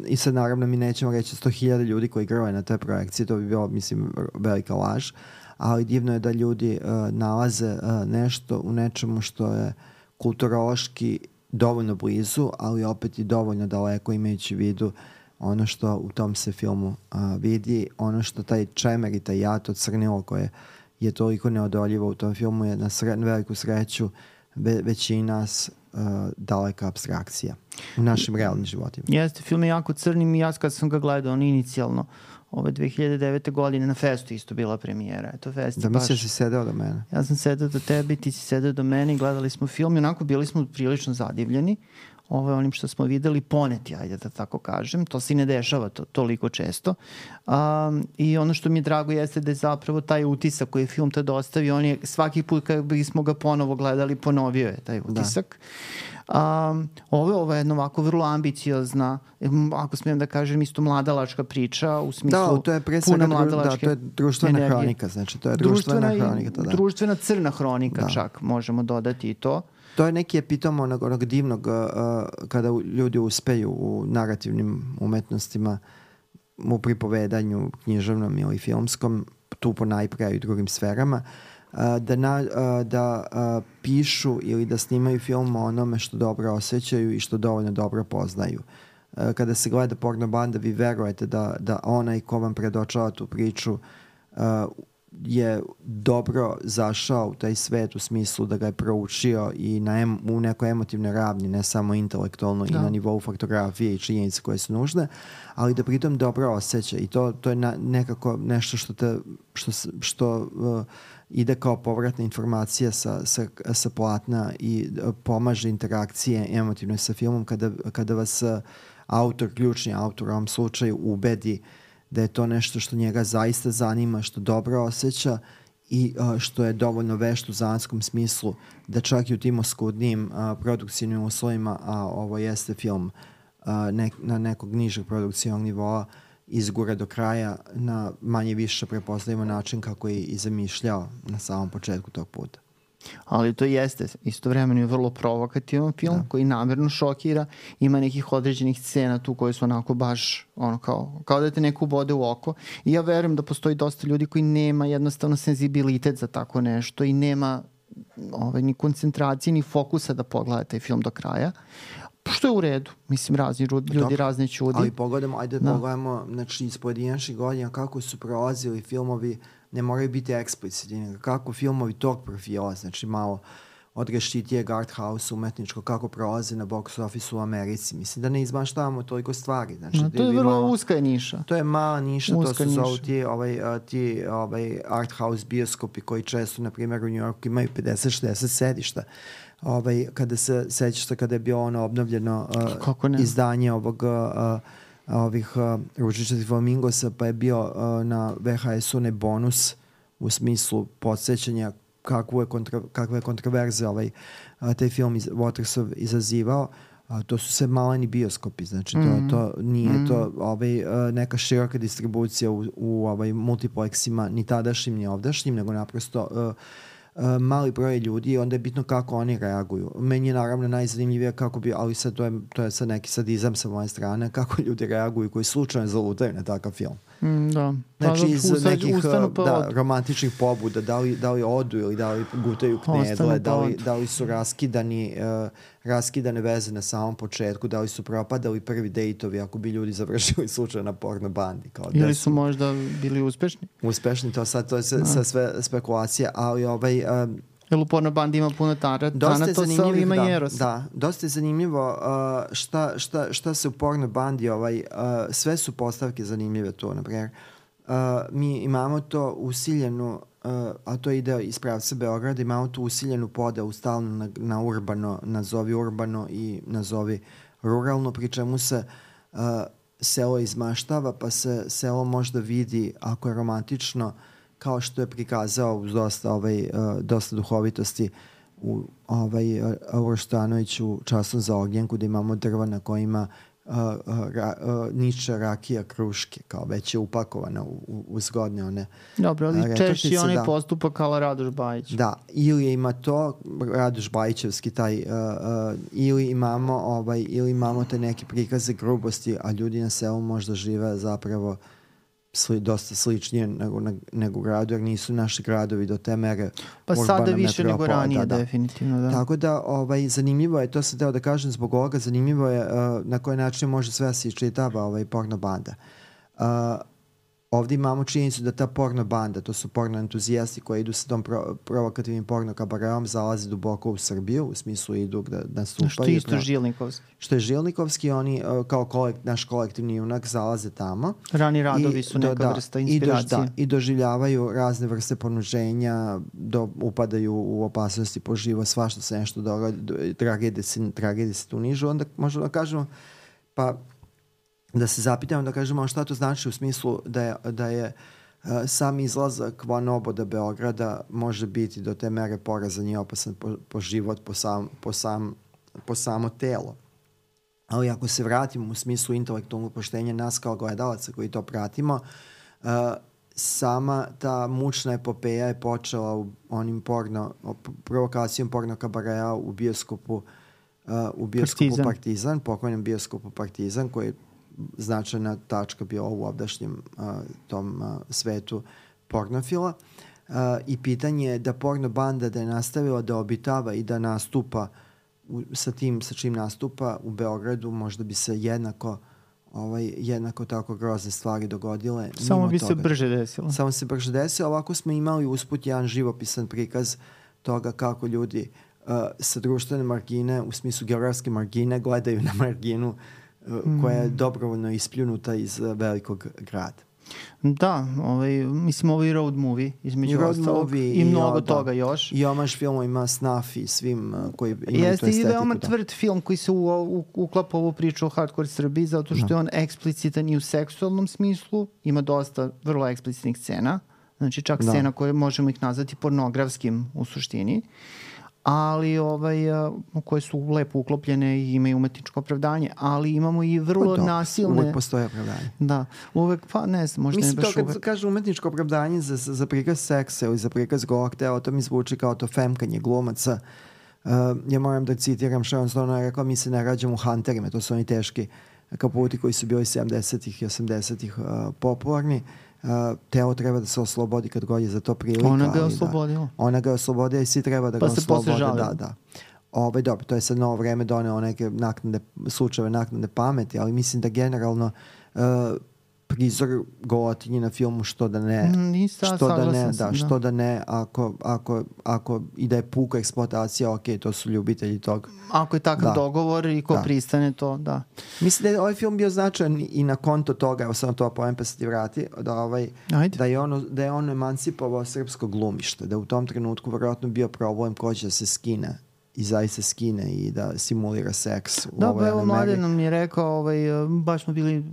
i sad naravno mi nećemo reći 100.000 ljudi koji grove na te projekcije, to bi bilo, mislim, velika laž, ali divno je da ljudi nalaze nešto u nečemu što je kulturološki dovoljno blizu, ali opet i dovoljno daleko, imajući vidu ono što u tom se filmu vidi, ono što taj čemer i taj jato crnilo koje je toliko neodoljivo u tom filmu je na veliku sreću većini nas daleka apstrakcija u našim realnim životima. Jeste, film je jako crnim i ja kad sam ga gledao, on inicijalno, ove 2009. godine na Festu isto bila premijera. Da, mislim si sedeo do mene. Ja sam sedeo do tebe, ti si sedeo do mene i gledali smo film i onako bili smo prilično zadivljeni. onim što smo videli poneti, ajde da tako kažem. To se i ne dešava toliko često. I ono što mi je drago jeste da je zapravo taj utisak koji je film tada ostavio, on je svaki put kad bismo ga ponovo gledali, ponovio je taj utisak. Ovo je jedna ovako vrlo ambiciozna, ako smijem da kažem, isto mladalačka priča, u smislu to je pre svega to je društvena energije. Hronika, znači to je društvena hronika. Društvena crna hronika čak, možemo dodati i to. To je neki epitom onog divnog kada ljudi uspeju u narativnim umetnostima, u pripovedanju književnom ili filmskom, tu ponajpre i u drugim sferama, da pišu ili da snimaju film o onome što dobro osjećaju i što dovoljno dobro poznaju. Kada se gleda Porno banda, vi verujete da onaj ko vam predočava tu priču je dobro zašao u taj svet u smislu da ga je proučio i u nekoj emotivnoj ravni, ne samo intelektualno i na nivou faktografije i činjenice koje su nužne, ali da pritom dobro osjeća i to je nekako nešto što ide kao povratna informacija sa platna i pomaže interakcije emotivnoj sa filmom kada vas ključni autor u ovom slučaju ubedi da je to nešto što njega zaista zanima, što dobro osjeća i što je dovoljno vešt u zanatskom smislu da čak i u tim oskudnijim produkcijnim uslovima, a ovo jeste film na nekog nižeg produkcijnog nivoa, izgura do kraja na manje više prepostavimo način kako je i zamišljao na samom početku tog puta. Ali to jeste istovremeno je vrlo provokativan film koji namerno šokira, ima nekih određenih scena tu koje su onako baš kao da te neko ubode u oko i ja verujem da postoji dosta ljudi koji nema jednostavno senzibilitet za tako nešto i nema ni koncentracije ni fokusa da pogleda taj film do kraja. Što je u redu, mislim, razni ljudi, razne čudi. Ali pogledamo, znači iz pojedinačnih godina kako su prolazili filmovi, ne moraju biti eksplicitni, kako filmovi tog profila, znači malo odrešitijeg art house umetničko, kako prolaze na box office u Americi. Mislim da ne izmaštavamo toliko stvari. Znači, to je vrlo uska niša. To je mala niša, to se zovu ti art house bioskopi koji često, na primjer, u New Yorku imaju 50-60 sedišta. Kada se sećaš kada je bilo ono obnovljeno izdanje ovih ružičastih flamingosa, pa je bio na VHS-u ne bonus u smislu podsjećanja kakve kontroverze taj film Watersov izazivao. To su sve maleni bioskopi, znači to nije to neka široka distribucija u multiplexima, ni tadašnjim ni ovdašnjim, nego naprosto mali broj ljudi i onda je bitno kako oni reaguju. Meni je naravno najzanimljivije ali sad to je sad neki sadizam sa moje strane, kako ljudi reaguju koji slučajno zalutaju na takav film. Znači iz nekih romantičnih pobuda, da li odu ili da li gutaju knedle, da li su raskidane veze na samom početku, da li su propadali prvi dejtovi ako bi ljudi završili slučajno na porno bandi. Ili su možda bili uspešni? Uspešni, to je sve spekulacija, ali jer u porno bandi ima puno tanatosa, ali ima i erosa. Da, dosta je zanimljivo šta se u porno bandi, sve su postavke zanimljive tu, naprimjer. Mi imamo to usiljenu, a to ide iz pravca Beograda, imamo tu usiljenu podelu stalno na urbano, nazovi urbano i nazovi ruralno, pri čemu se selo izmaštava, pa se selo možda vidi, ako je romantično, kao što je prikazao uz dosta duhovitosti u Uroštanović u Časom za ognjenku, da imamo drva na kojima niče rakija kruške, kao već je upakovana u zgodne one. Dobro, ali češći onaj postupak kao Radoš Bajić. Da, ili ima to, Radoš Bajićevski taj, ili imamo te neke prikaze grubosti, a ljudi na selu možda žive zapravo dosta sličnije nego u gradu, jer nisu naši gradovi do te mere pa sada više nego ranije, definitivno. Da. Tako da zanimljivo je, to sam teo da kažem zbog ovoga, zanimljivo je na koji način može sve se iščitava porno banda. ovdje imamo činjenicu da ta porno banda, to su porno entuzijasti koji idu sa tom provokativnim porno kabareom, zalazi duboko u Srbiju, u smislu idu da nastupaju. Što je isto Žilnikovski. Što je Žilnikovski, oni kao naš kolektivni junak zalaze tamo. Rani radovi su neka vrsta inspiracije. I doživljavaju razne vrste ponuđenja, upadaju u opasnosti po život, svašta se nešto dogodi, tragedije se tu nižu. Onda možemo da kažemo, pa da se zapitamo, da kažemo šta to znači u smislu da je sam izlazak van oboda Beograda može biti do te mere porazan i opasan po život, po samo telo. Ali ako se vratimo u smislu intelektualnog poštenja nas kao gledalaca koji to pratimo, sama ta mučna epopeja je počela u onim provokacijom porno kabareja u bioskopu Partizan, pokojnom bioskopu Partizan, koji je značajna tačka bio u ovdašnjem tom svetu pornofila. I pitanje je da porno banda da je nastavila da obitava i da nastupa sa čim nastupa u Beogradu, možda bi se jednako tako grozne stvari dogodile. Samo bi se brže desilo. Samo se brže desilo. Ovako smo imali usput jedan živopisan prikaz toga kako ljudi sa društvene margine, u smislu geografske margine, gledaju na marginu koja je dobrovoljno ispljunuta iz velikog grada. Da, mislim ovo je road movie između ostalog i mnogo toga još. I omaž filmovima Snuff i svim koji imaju tu estetiku. Jeste i veoma tvrd film koji se uklapa ovu priču o hardcore Srbiji zato što je on eksplicitan i u seksualnom smislu, ima dosta vrlo eksplicitnih scena, znači čak scena koje možemo ih nazvati pornografskim u suštini, ali koje su lepo uklopljene i imaju umetničko opravdanje, ali imamo i vrlo nasilne... Uvek postoje opravdanje. Da, uvek, pa ne znam, možda ne baš uvek. Mislim to kad kaže umetničko opravdanje za prikaz seksa ili za prikaz golog tela, to mi zvuči kao to femkanje glumaca. Ja moram da citiram Sharon Stone, je rekao, mi se ne rađamo u Hunterima, to su oni teški kaputi koji su bili 70-ih i 80-ih popularni. Teo treba da se oslobodi kad god je za to prilika. Ona ga je oslobodila. Ona ga je oslobodila i svi treba da ga oslobode. Da. Dobro, to je sad novo vreme doneo neke slučajeve naknade pameti, ali mislim da generalno prizor golotinje na filmu što da ne, što da ne ako i da je puka eksploatacija, ok, to su ljubitelji tog. Ako je takav dogovor i ko pristane to, da. Mislim da je ovaj film bio značajan i na konto toga, evo sam to pojem pa se ti vrati, da je on emancipovao srpsko glumište, da u tom trenutku vjerojatno bio problem ko će da se skine i zaista skine i da simulira seks. Evo Mladen nam je rekao, baš smo bili,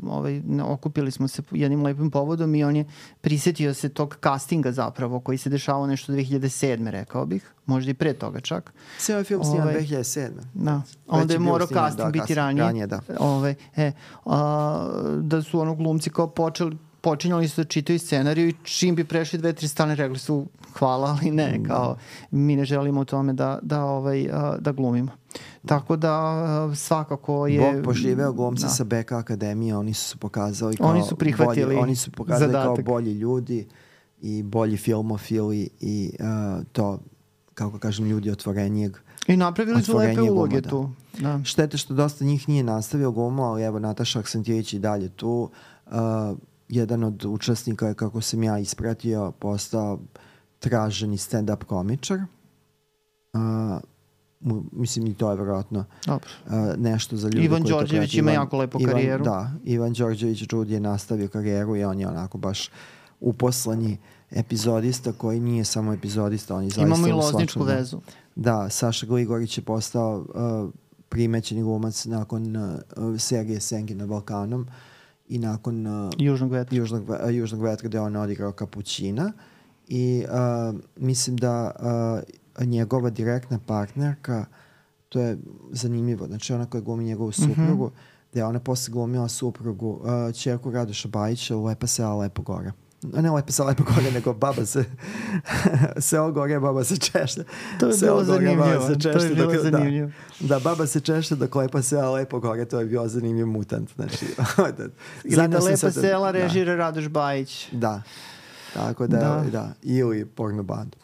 okupili smo se jednim lepim povodom i on je prisjetio se tog castinga zapravo koji se dešavao nešto 2007. rekao bih, možda i pre toga čak. Sve ovaj film sniman 2007. Da, onda je morao casting biti ranije. Da su glumci kao počinjali su da čitaju scenariju i čim bi prešli 2-3 strane rekli su hvala, ali ne, kao mi ne želimo u tome da glumimo. Tako da svakako je... Bog poživeo glumci sa BK Akademije, oni su pokazali kao oni su prihvatili kao bolji ljudi i bolji filmofili i to, kako kažem, ljudi otvorenijeg. I napravili su lepe uloge tu. Štete što dosta njih nije nastavio glumu, ali evo Nataša Aksentijević i dalje tu. Jedan od učesnika je, kako sam ja ispratio, postao traženi stand-up komičar. Mislim i to je vjerojatno nešto za ljude. Ivan Đorđević ima jako lepu karijeru. Ivan Đorđević Đudi je nastavio karijeru i on je onako baš uposleni epizodista koji nije samo epizodista, on je zaista imamo i lozničku vezu. Da, Saša Gligorić je postao primećeni glumac nakon serije Senki na Balkanom i nakon Južnog vetra gde on odigrao Kapućina i mislim da njegova direktna partnerka, to je zanimljivo, znači ona koja glumi njegovu suprugu, da je ona posle glumila suprugu ćerku Radoša Bajića u Lepa sela Lepo gore. Ne Lepa sela Lepo gore, nego baba se seo gore, baba se češlja. To je bilo zanimljivo. Da, baba se češlja dok Lepa sela Lepo gore, to je bio zanimljiv mutant. Znači, ili da Lepa sela režira Radoš Bajić. Da, tako da, ili porno bandu.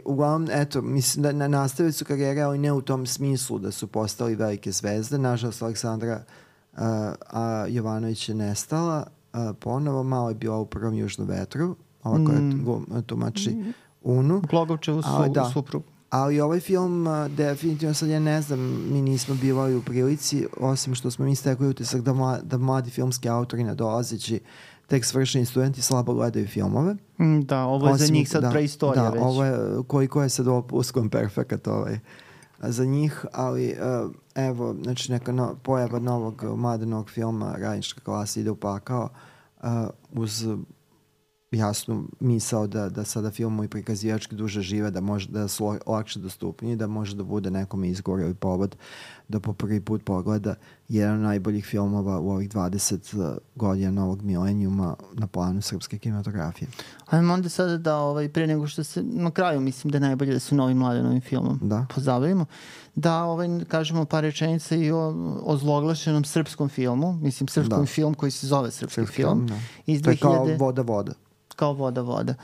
Uglavnom, eto, mislim da nastavili su karijere, ali ne u tom smislu da su postali velike zvezde. Nažalost, Aleksandra Jovanović je nestala ponovo, malo je bila u Prvom južnom vetru, ova koja tumači Unu. Glogovčevu suprugu. Ali ovaj film, definitivno sad ja ne znam, mi nismo bili u prilici, osim što smo mi stekli utisak da mladi filmski autori nadolazeći tek svršeni studenti slabo gledaju filmove. Da, ovo je za njih sad preistorija već. Da, ovo je, koliko je sad ovo pluskom perfekat za njih, ali evo, znači neka pojava novog mladenog filma Radnička klasa ide u pakao uz jasnu misao da sada filmovi prikazivački duže žive, da su lakše dostupniji, da može da bude nekom izgovor ili povod da po prvi put pogleda jedan od najboljih filmova u ovih 20 godina novog milenijuma na planu srpske kinematografije. Ajmo onda sada da pre nego što se na kraju mislim da je najbolje da se novim mladenovim filmom pozabavimo, da kažemo par rečenica i o zloglašenom srpskom filmu, mislim srpskom film koji se zove srpski film. To je kao Voda. Kao voda.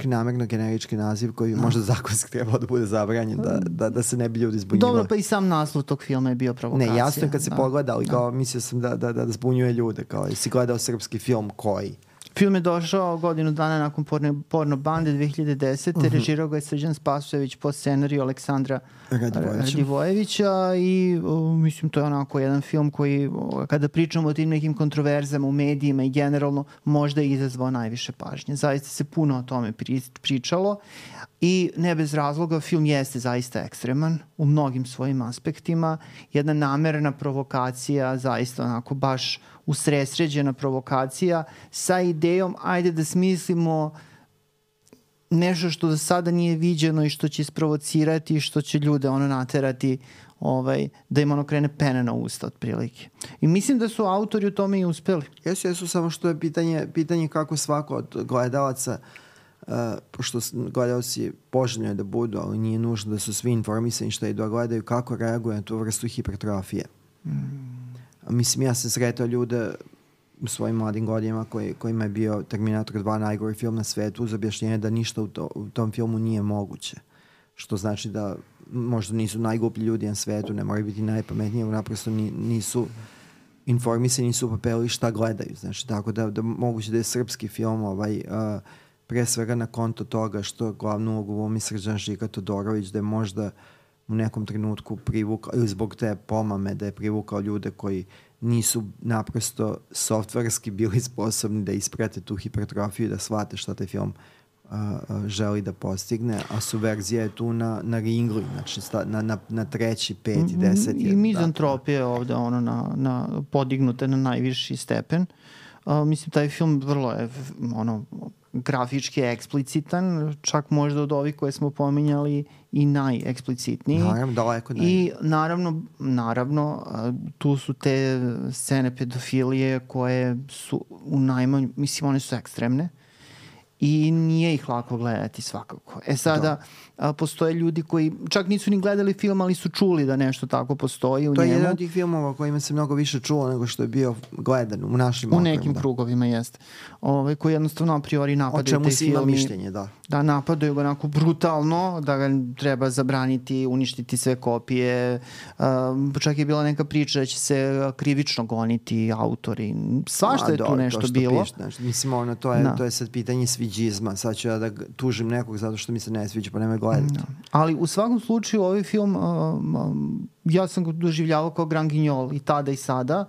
Namerno generički naziv koji možda zakonski trebao da bude zabranjen, da se ne bi ljudi zbunjivali. Dobro, pa i sam naslov tog filma je bio provokacija. Ne, jasno je kad se pogleda, ali kao mislio sam da zbunjuje ljude, kao jesi gledao srpski film koji? Film je došao godinu dana nakon Porno bande 2010. Režirao ga je Srđan Spasojević po scenariju Aleksandra Radivojevića i mislim to je onako jedan film koji kada pričamo o tim nekim kontroverzama u medijima i generalno možda je izazvao najviše pažnje. Zaista se puno o tome pričalo i ne bez razloga film jeste zaista ekstreman u mnogim svojim aspektima. Jedna namerna provokacija, zaista onako baš usredsređena provokacija sa idejom ajde da smislimo nešto što do sada nije viđeno i što će isprovocirati i što će ljude naterati da im krene pene na usta otprilike. I mislim da su autori u tome i uspeli. Jesu, samo što je pitanje kako svako od gledalaca, pošto gledalci poželjno je da budu, ali nije nužno da su svi informisani šta i da gledaju, kako reaguju na tu vrstu hipertrofije. Mislim, ja sam sretao ljude u svojim mladim godinama kojima je bio Terminator 2 najgori film na svetu uz objašnjenje da ništa u tom filmu nije moguće. Što znači da možda nisu najgluplji ljudi na svetu, ne moraju biti najpametniji, naprosto nisu informisani, nisu upapeli šta gledaju. Znači, tako da moguće da je srpski film pre svega na konto toga što glavnu ulogu glumi Srđan Žika Todorović, da je možda u nekom trenutku privukao, ili zbog te pomame da je privukao ljude koji nisu naprosto softverski bili sposobni da isprate tu hipertrofiju i da shvate šta taj film želi da postigne, a subverzija je tu na ringlu, znači na treći, peti, deseti. I mizantropija je ovde podignuta na najviši stepen. Mislim, taj film vrlo je grafički eksplicitan, čak možda od ovih koje smo pominjali i najeksplicitniji. Naravno, daleko naj. I naravno, tu su te scene pedofilije koje su u najmanju, mislim, one su ekstremne i nije ih lako gledati svakako. Sada postoje ljudi koji čak nisu ni gledali film, ali su čuli da nešto tako postoji u njemu. To je jedan od tih filmova kojima se mnogo više čulo nego što je bio gledan u našim okvirima. U nekim krugovima jeste. Koji jednostavno a priori napadaju te filmi. O čemu si ima mišljenje, da. Da, napadaju ga onako brutalno, da ga treba zabraniti, uništiti sve kopije. Čak je bila neka priča da će se krivično goniti autori. Svašta je tu nešto bilo. Mislim, to je sad pitanje sviđizma. Sad ću ja da tužim nekog zato što mi se ne sviđa, pa nema gledati. Ali u svakom slučaju ovaj film ja sam ga doživljavao kao Grand Guignol i tada i sada.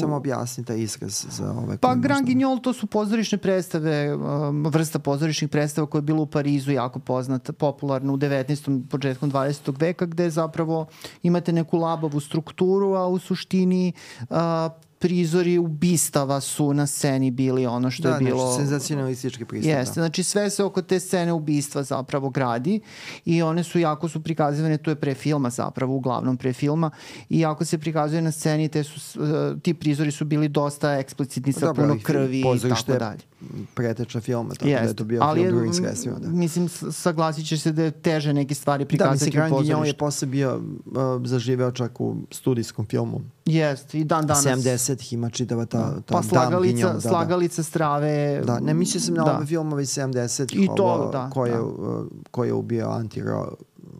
Samo objasni taj izraz za ove. Pa Grand Guignol to su pozorišne predstave, vrsta pozorišnih predstava koja je bila u Parizu jako poznata, popularna u 19. početkom 20. veka, gde zapravo imate neku labavu strukturu, a u suštini prizori ubistava su na sceni bili ono što je bilo... Da, senzacionalistički pristup. Jeste, znači sve se oko te scene ubistva zapravo gradi i one su jako su prikazivane, to je pre filma zapravo, uglavnom pre filma, i jako se prikazuje na sceni, ti prizori su bili dosta eksplicitni sa puno krvi i tako dalje. Preteča filma, tako da je to bio film drugim sredstvima. Mislim, saglasit će se da je teže neke stvari prikazati u pozorištu. Da, mislim, Grand Guignol je posle bio zaživeo čak u studijskom filmu. Jeste, i dan danas. 70-ih ima čitava ta pa Slagalica strave. Da, ne mislio sam na ove filmove iz 70-ih. I to, ko je ubio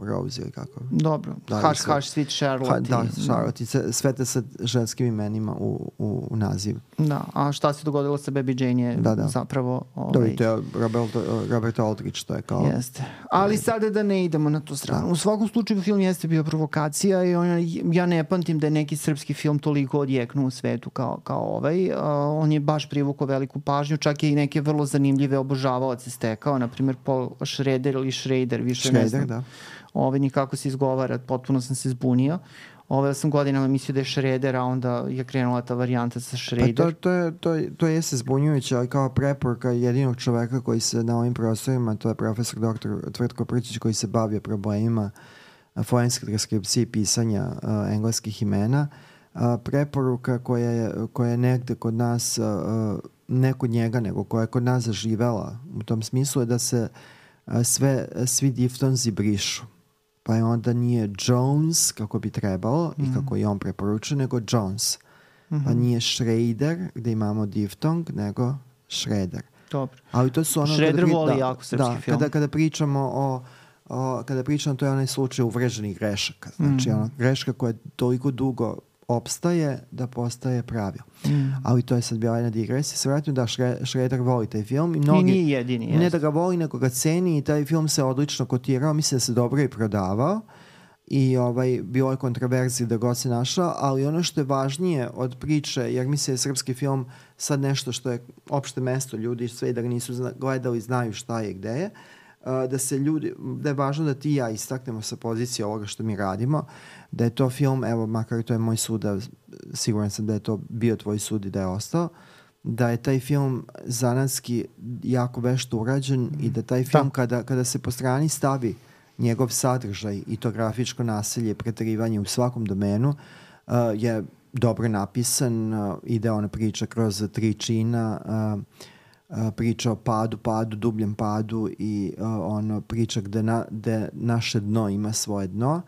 Rose ili kako. Dobro, Hush, Sweet Charlotte. Da, Charlotte. Sve te sa ženskim imenima u nazivu. Da, a šta se dogodilo sa Baby Jane je zapravo... Da, to je Robert Aldrich, to je kao... Jeste. Ali sada da ne idemo na tu stranu. U svakom slučaju film jeste bio provokacija i ja ne pamtim da je neki srpski film toliko odjeknuo u svetu kao ovaj. On je baš privukao veliku pažnju, čak je i neke vrlo zanimljive obožavaoce stekao, na primjer Paul Schrader ili Schrader, više ne znam. Da. Nikako se izgovara, potpuno sam se zbunio. Ja sam godinama mislio da je Schrader, a onda je krenula ta varijanta sa Schrader. Pa to je se zbunjujuće, ali kao preporuka jedinog čoveka koji se na ovim prostorima, to je profesor dr. Tvrtko Prčić, koji se bavio problemima forenske transkripcije i pisanja engleskih imena. Preporuka koja je negde kod nas, ne kod njega, nego koja je kod nas zaživela u tom smislu je da se svi diftonzi brišu. Pa je onda nije Jones kako bi trebalo i kako je on preporučio, nego Jones. Pa nije Schrader gde imamo diftong, nego Schrader. Dobro. Ali to su ono Schrader voli jako srpski film. Kada pričamo to je onaj slučaj uvreženih grešaka. Znači greška koja toliko dugo opstaje da postaje pravilo. Ali to je sad bila jedna digresija. Se vratim da Schrader voli taj film. I nije jedini. Ne da ga voli, nego ga ceni i taj film se odlično kotirao. Mislim da se dobro i prodavao. I bilo je kontroverzije da god se našao, ali ono što je važnije od priče, jer mislim da je srpski film sad nešto što je opšte mesto, ljudi sve da ga nisu gledali znaju šta je i gde je, da je važno da ti i ja istaknemo sa pozicije ovoga što mi radimo, da je to film, evo makar to je moj sud, siguran sam da je to bio tvoj sud i da je ostao, da je taj film zanatski jako vešto urađen i da taj film kada se po strani stavi njegov sadržaj i to grafičko nasilje, preterivanje u svakom domenu je dobro napisan, ide ona priča kroz 3 čina, priča o padu, dubljem padu i priča gde naše dno ima svoje dno,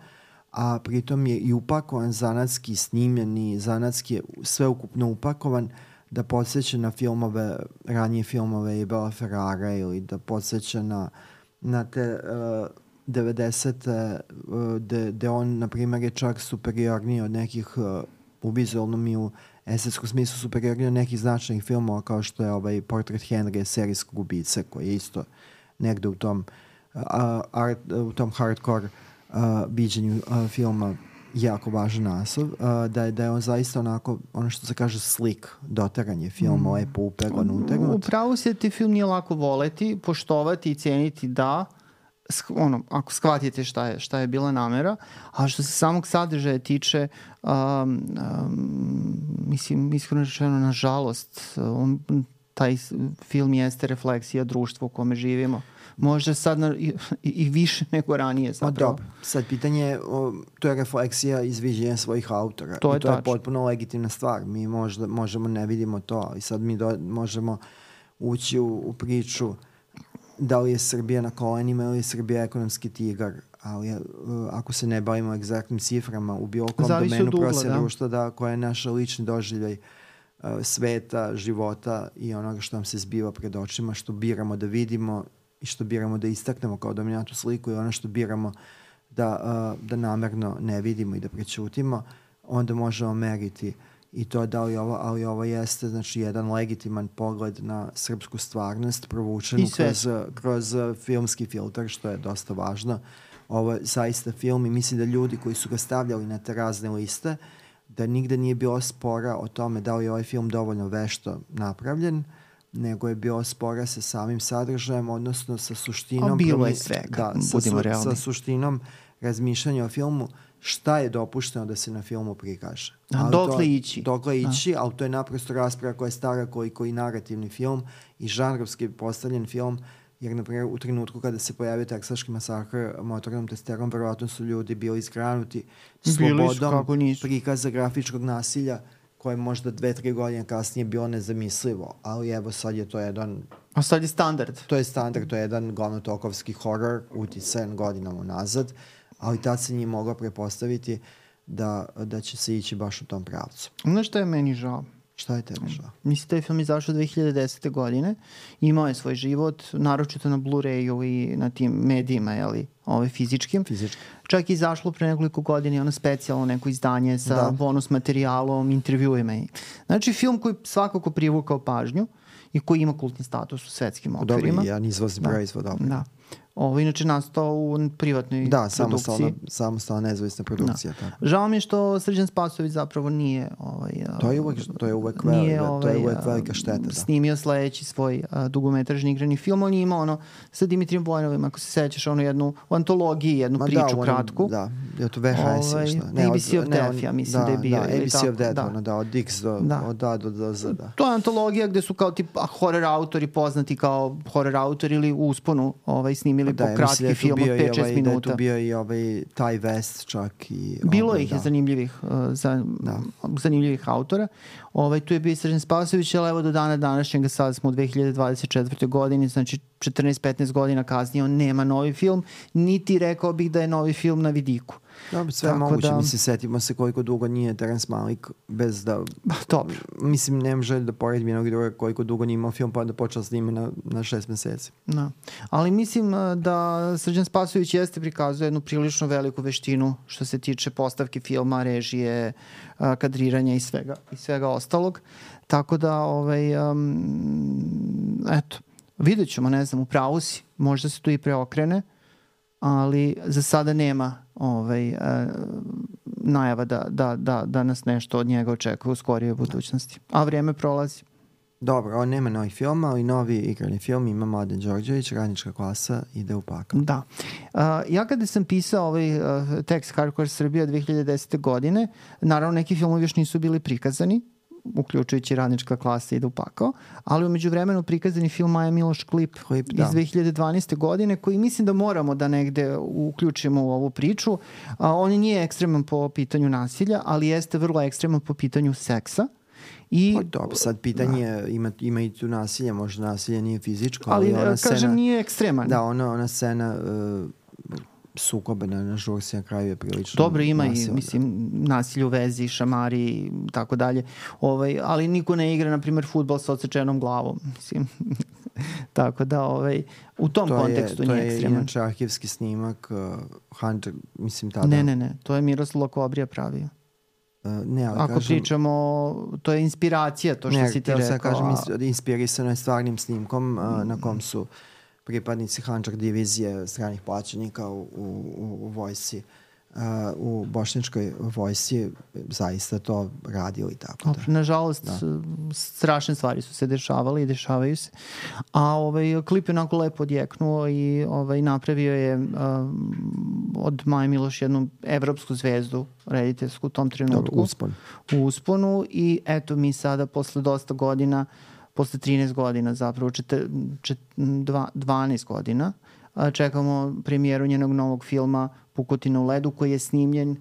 a pritom je i upakovan zanatski, snimljen i zanatski je sveukupno upakovan da podsjeća na filmove, ranije filmove i Bela Ferrara ili da podsjeća na te 90. gde on, na primjer, je čak superiorniji od nekih u vizualnom i u estetskom smislu superiorniji od nekih značajnih filmova kao što je Portret Henry serijskog ubice koji je isto negde u tom hardcore viđenju filma jako važan naslov, da je on zaista onako, ono što se kaže slick, doteranje filma, lepo upegan, utegnut. Upravo se ti film nije lako voleti, poštovati i cijeniti ako shvatite šta je bila namera, a što se samog sadržaja tiče, mislim, iskreno rečeno, nažalost, taj film jeste refleksija društva u kome živimo. Možda sad i više nego ranije zapravo. Dobro, sad pitanje, to je refleksija izviđenja svojih autora. To je potpuno legitimna stvar. Mi možemo ne vidimo to i sad mi možemo ući u priču da li je Srbija na kolenima ili je Srbija ekonomski tigar, ali ako se ne bavimo egzaktnim ciframa u bilo kom domenu procesa društva, koja je naša lični doživljaj sveta, života i onoga što nam se zbiva pred očima, što biramo da vidimo i što biramo da istaknemo kao dominantnu sliku i ono što biramo da namerno ne vidimo i da prećutimo, onda možemo meriti i to da li ali ovo jeste znači jedan legitiman pogled na srpsku stvarnost provučenu kroz filmski filter, što je dosta važno. Ovo je zaista film i mislim da ljudi koji su ga stavljali na te razne liste, da nigde nije bilo spora o tome da li je ovaj film dovoljno vešto napravljen, nego je bilo spora sa samim sadržajem, odnosno sa suštinom... A bilo je svega, budimo realni. Sa suštinom razmišljanja o filmu, šta je dopušteno da se na filmu prikaže. Dokle ići. Dokle ići, ali to je naprosto rasprava koja je stara koji narativni film i žanrovski postavljen film, jer, na primjer, u trenutku kada se pojavio teksaški masakr motornom testerom, verovatno su ljudi bili izgranuti slobodom prikaza grafičkog nasilja, koje možda 2-3 godine kasnije bilo nezamislivo, ali evo sad je to jedan... A sad je standard. To je standard, to je jedan glavnotokovski horor uticajan godinama nazad, ali tad se nije moglo prepostaviti da će se ići baš u tom pravcu. Znaš što je meni žao? Šta je tebi žao? Mislim da je film izašao 2010. godine. Imao je svoj život, naročito na Blu-rayu i na tim medijima, fizičkim. Čak i izašlo pre nekoliko godina ono specijalno neko izdanje sa bonus materijalom, intervjuima. Znači film koji svakako privukao pažnju i koji ima kultni status u svetskim okvirima. Dobro, jedan izvozni proizvod. Da. Ovo inače nastao u privatnoj produkciji. Samostalna nezavisna produkcija. Da. Žao mi je što Srđan Spasojević zapravo nije to je uvek velika šteta. Snimio sledeći svoj dugometražni igrani film. On je imao sa Dimitrijem Vojnovim, ako se sećaš, jednu u antologiji, jednu priču kratku. Da, je to VHS ili šta? ABC of Death, ja mislim da je bio. ABC of Death, od Dix do Z. To je antologija gde su kao tipa horror autori poznati kao horror autori ili u usponu snimili po kratki film od 5-6 minuta. Da je tu bio i Ty West čak. Bilo ih je zanimljivih autora. Tu je bio Srđan Spasojević, ali evo do dana današnjega, sad smo u 2024. godini, znači 14-15 godina kasnije, on nema novi film, niti rekao bih da je novi film na vidiku. Dobro, sve je moguće. Mislim, setimo se koliko dugo nije Terence Malick bez da... Dobro. Mislim, nemam želj da poredim jednog i druga koliko dugo nije imao film, pa da počeo snime na 6 meseci. Da. Ali mislim da Srđan Spasojević jeste prikazuje jednu prilično veliku veštinu što se tiče postavke filma, režije, kadriranja i svega ostalog. Tako da, eto, vidjet ćemo, ne znam, u pravu si, možda se tu i preokrene, ali za sada nema najava da nas nešto od njega očekuje u skorijoj budućnosti. A vrijeme prolazi. Dobro, on nema novih filma, ali novi igrani film ima Mladen Đorđević, Radnička klasa, ide u pakao. Da. Ja kada sam pisao tekst Hardcore Srbija 2010. godine, naravno neki filmovi još nisu bili prikazani, uključujući Radnička klasa ide u pakao, ali umeđu vremenu prikazani film Maja Miloš klip iz 2012. godine, koji mislim da moramo da negde uključimo u ovu priču. On nije ekstreman po pitanju nasilja, ali jeste vrlo ekstreman po pitanju seksa. Dobro, sad pitanje ima i tu nasilje, možda nasilje nije fizičko, ali kažem nije ekstreman. Da, ona scena sukobe na žurci na kraju je prilično dobro, ima i mislim nasilje u vezi, šamari i tako dalje, ali niko ne igra na primjer fudbal sa odsečenom glavom, mislim. Tako da u tom kontekstu nije ekstreman. To je inače arhivski snimak Hunter, mislim tada. Ne, to je Miroslav Kobrija pravio. Ako pričamo, to je inspiracija, to što si ti rekao. Kažem, inspirisano je stvarnim snimkom na kom su pripadnici Handžar divizije stranih plaćenika u vojsci, u bošnjačkoj vojsci zaista to radili tako da. Nažalost, strašne stvari su se dešavale i dešavaju se. A klip je onako lepo odjeknuo i napravio je od Maje Miloš jednu evropsku zvezdu rediteljsku u tom trenutku. U usponu i eto mi sada posle dosta godina, posle 13 godina zapravo, 12 godina, čekamo premijeru njenog novog filma Pukotina u ledu, koji je snimljen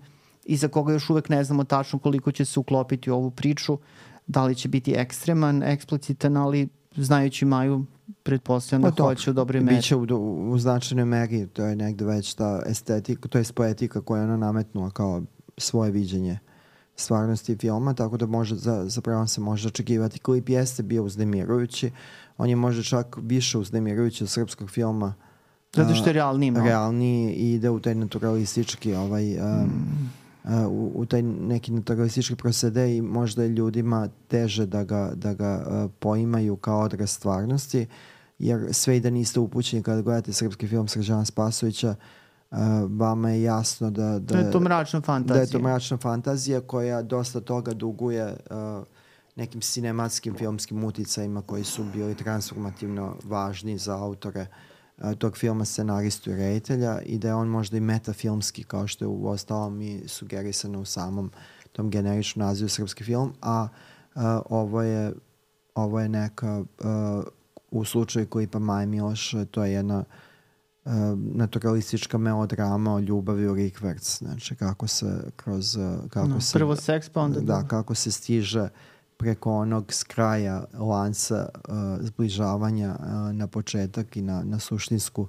i za koga još uvek ne znamo tačno koliko će se uklopiti u ovu priču, da li će biti ekstreman, eksplicitan, ali znajući Maju, pretpostavljam da hoće u dobroj meri. Biće u značajnoj meri, to je negde već ta estetika, to je poetika koja je ona nametnula kao svoje viđenje stvarnosti filma, tako da zapravo se može očekivati. Klip jeste bio uznemirujući, on je možda čak više uznemirujući od srpskog filma. Zato što je realniji i ide u taj naturalistički u taj neki naturalistički procede i možda je ljudima teže da ga poimaju kao odraz stvarnosti, jer sve i da niste upućeni kada gledate srpski film Srđana Spasojevića, vama je jasno da je to mračna fantazija. Da je to mračna fantazija koja dosta toga duguje nekim sinematskim filmskim uticajima koji su bili transformativno važni za autore tog filma, scenaristu i reditelja, i da je on možda i metafilmski, kao što je u ostalom i sugerisano u samom tom generičnom nazivu srpski film, a ovo je neka u slučaju klipa Maje Miloš, to je jedna naturalistička melodrama o ljubavi u rikverc, znači kako se kroz prvo seks pa onda kako se stiže preko onog s kraja lanca zbližavanja na početak i na suštinsku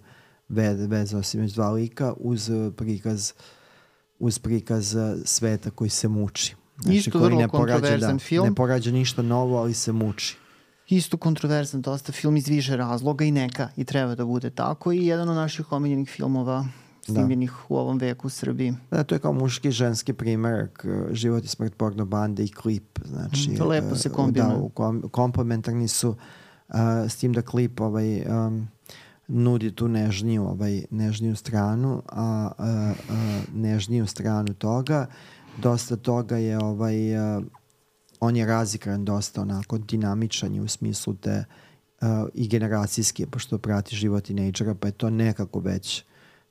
vezu osim dva lika uz prikaz sveta koji se muči. Znači, Isto koji vrlo kontroverzan film. Ne porađa ništa novo, ali se muči. Isto kontroverzan dosta film iz više razloga i treba da bude tako i jedan od naših omiljenih filmova snimljenih u ovom veku u Srbiji. Da, to je kao muški i ženski primerak, Život i smrt porno bande i klip. Znači, to lepo se kombinuje. Da, komplementarni su, s tim da klip nudi tu nežniju stranu, a nežniju stranu toga. Dosta toga je on je razigran dosta onako dinamičan u smislu te i generacijski, pošto prati život tinejdžera, pa je to nekako već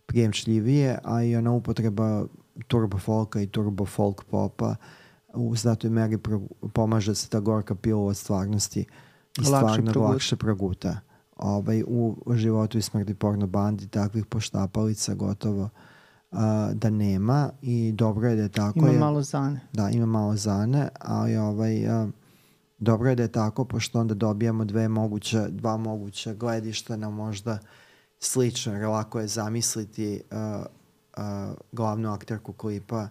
prijemčljivije, a i ona upotreba turbo folka i turbo folk popa u znatoj meri pomaže se ta gorka pila od stvarnosti i stvarno lakše proguta. U Životu i smrti porno bandi takvih poštapalica gotovo da nema i dobro je da je tako. Ima malo zane. Da, ima malo zane, ali dobro je da je tako, pošto onda dobijamo dva moguća gledišta na možda slično, jer lako je zamisliti glavnu akterku klipa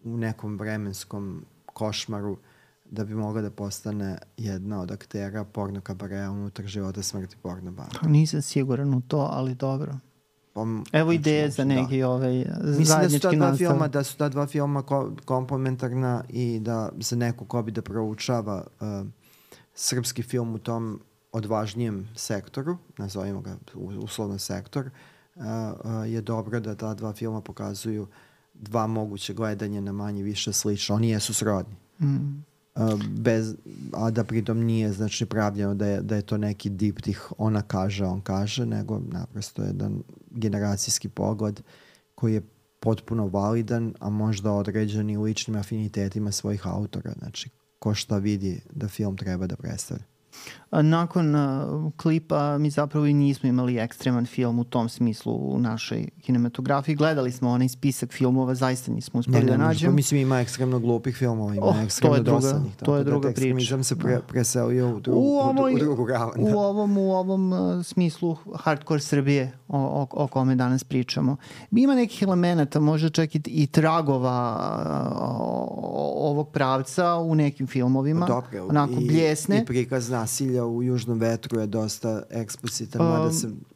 u nekom vremenskom košmaru da bi mogla da postane jedna od aktera porno kabarea unutar Života smrti porno banda. Nisam siguran u to, ali dobro. Evo ideje za neki zajednički nastav. Da su ta dva filma komplementarna i da za neko ko bi da proučava srpski film u tom odvažnijem sektoru, nazovimo ga uslovno sektor, je dobro da ta dva filma pokazuju dva moguće gledanja na manje više slično. Oni jesu srodni. A da pritom nije znači pravljeno da je to neki diptih ona kaže, on kaže, nego naprosto jedan generacijski pogled koji je potpuno validan, a možda određen i ličnim afinitetima svojih autora. Znači, ko šta vidi da film treba da predstavlja. Nakon klipa mi zapravo i nismo imali ekstreman film u tom smislu u našoj kinematografiji. Gledali smo onaj spisak filmova, zaista nismo uspeli da nađemo. Mislim, ima ekstremno glupih filmova, ima ekstremno dosadnih. To je druga priča. Ekstremizam se preselio u drugu ravan. U ovom smislu hardcore Srbije o kome danas pričamo. Ima nekih elemenata, možda čak i tragova ovog pravca u nekim filmovima. Dobro, onako bljesne. I prikaz nasilja u Južnom vetru je dosta eksplicitan.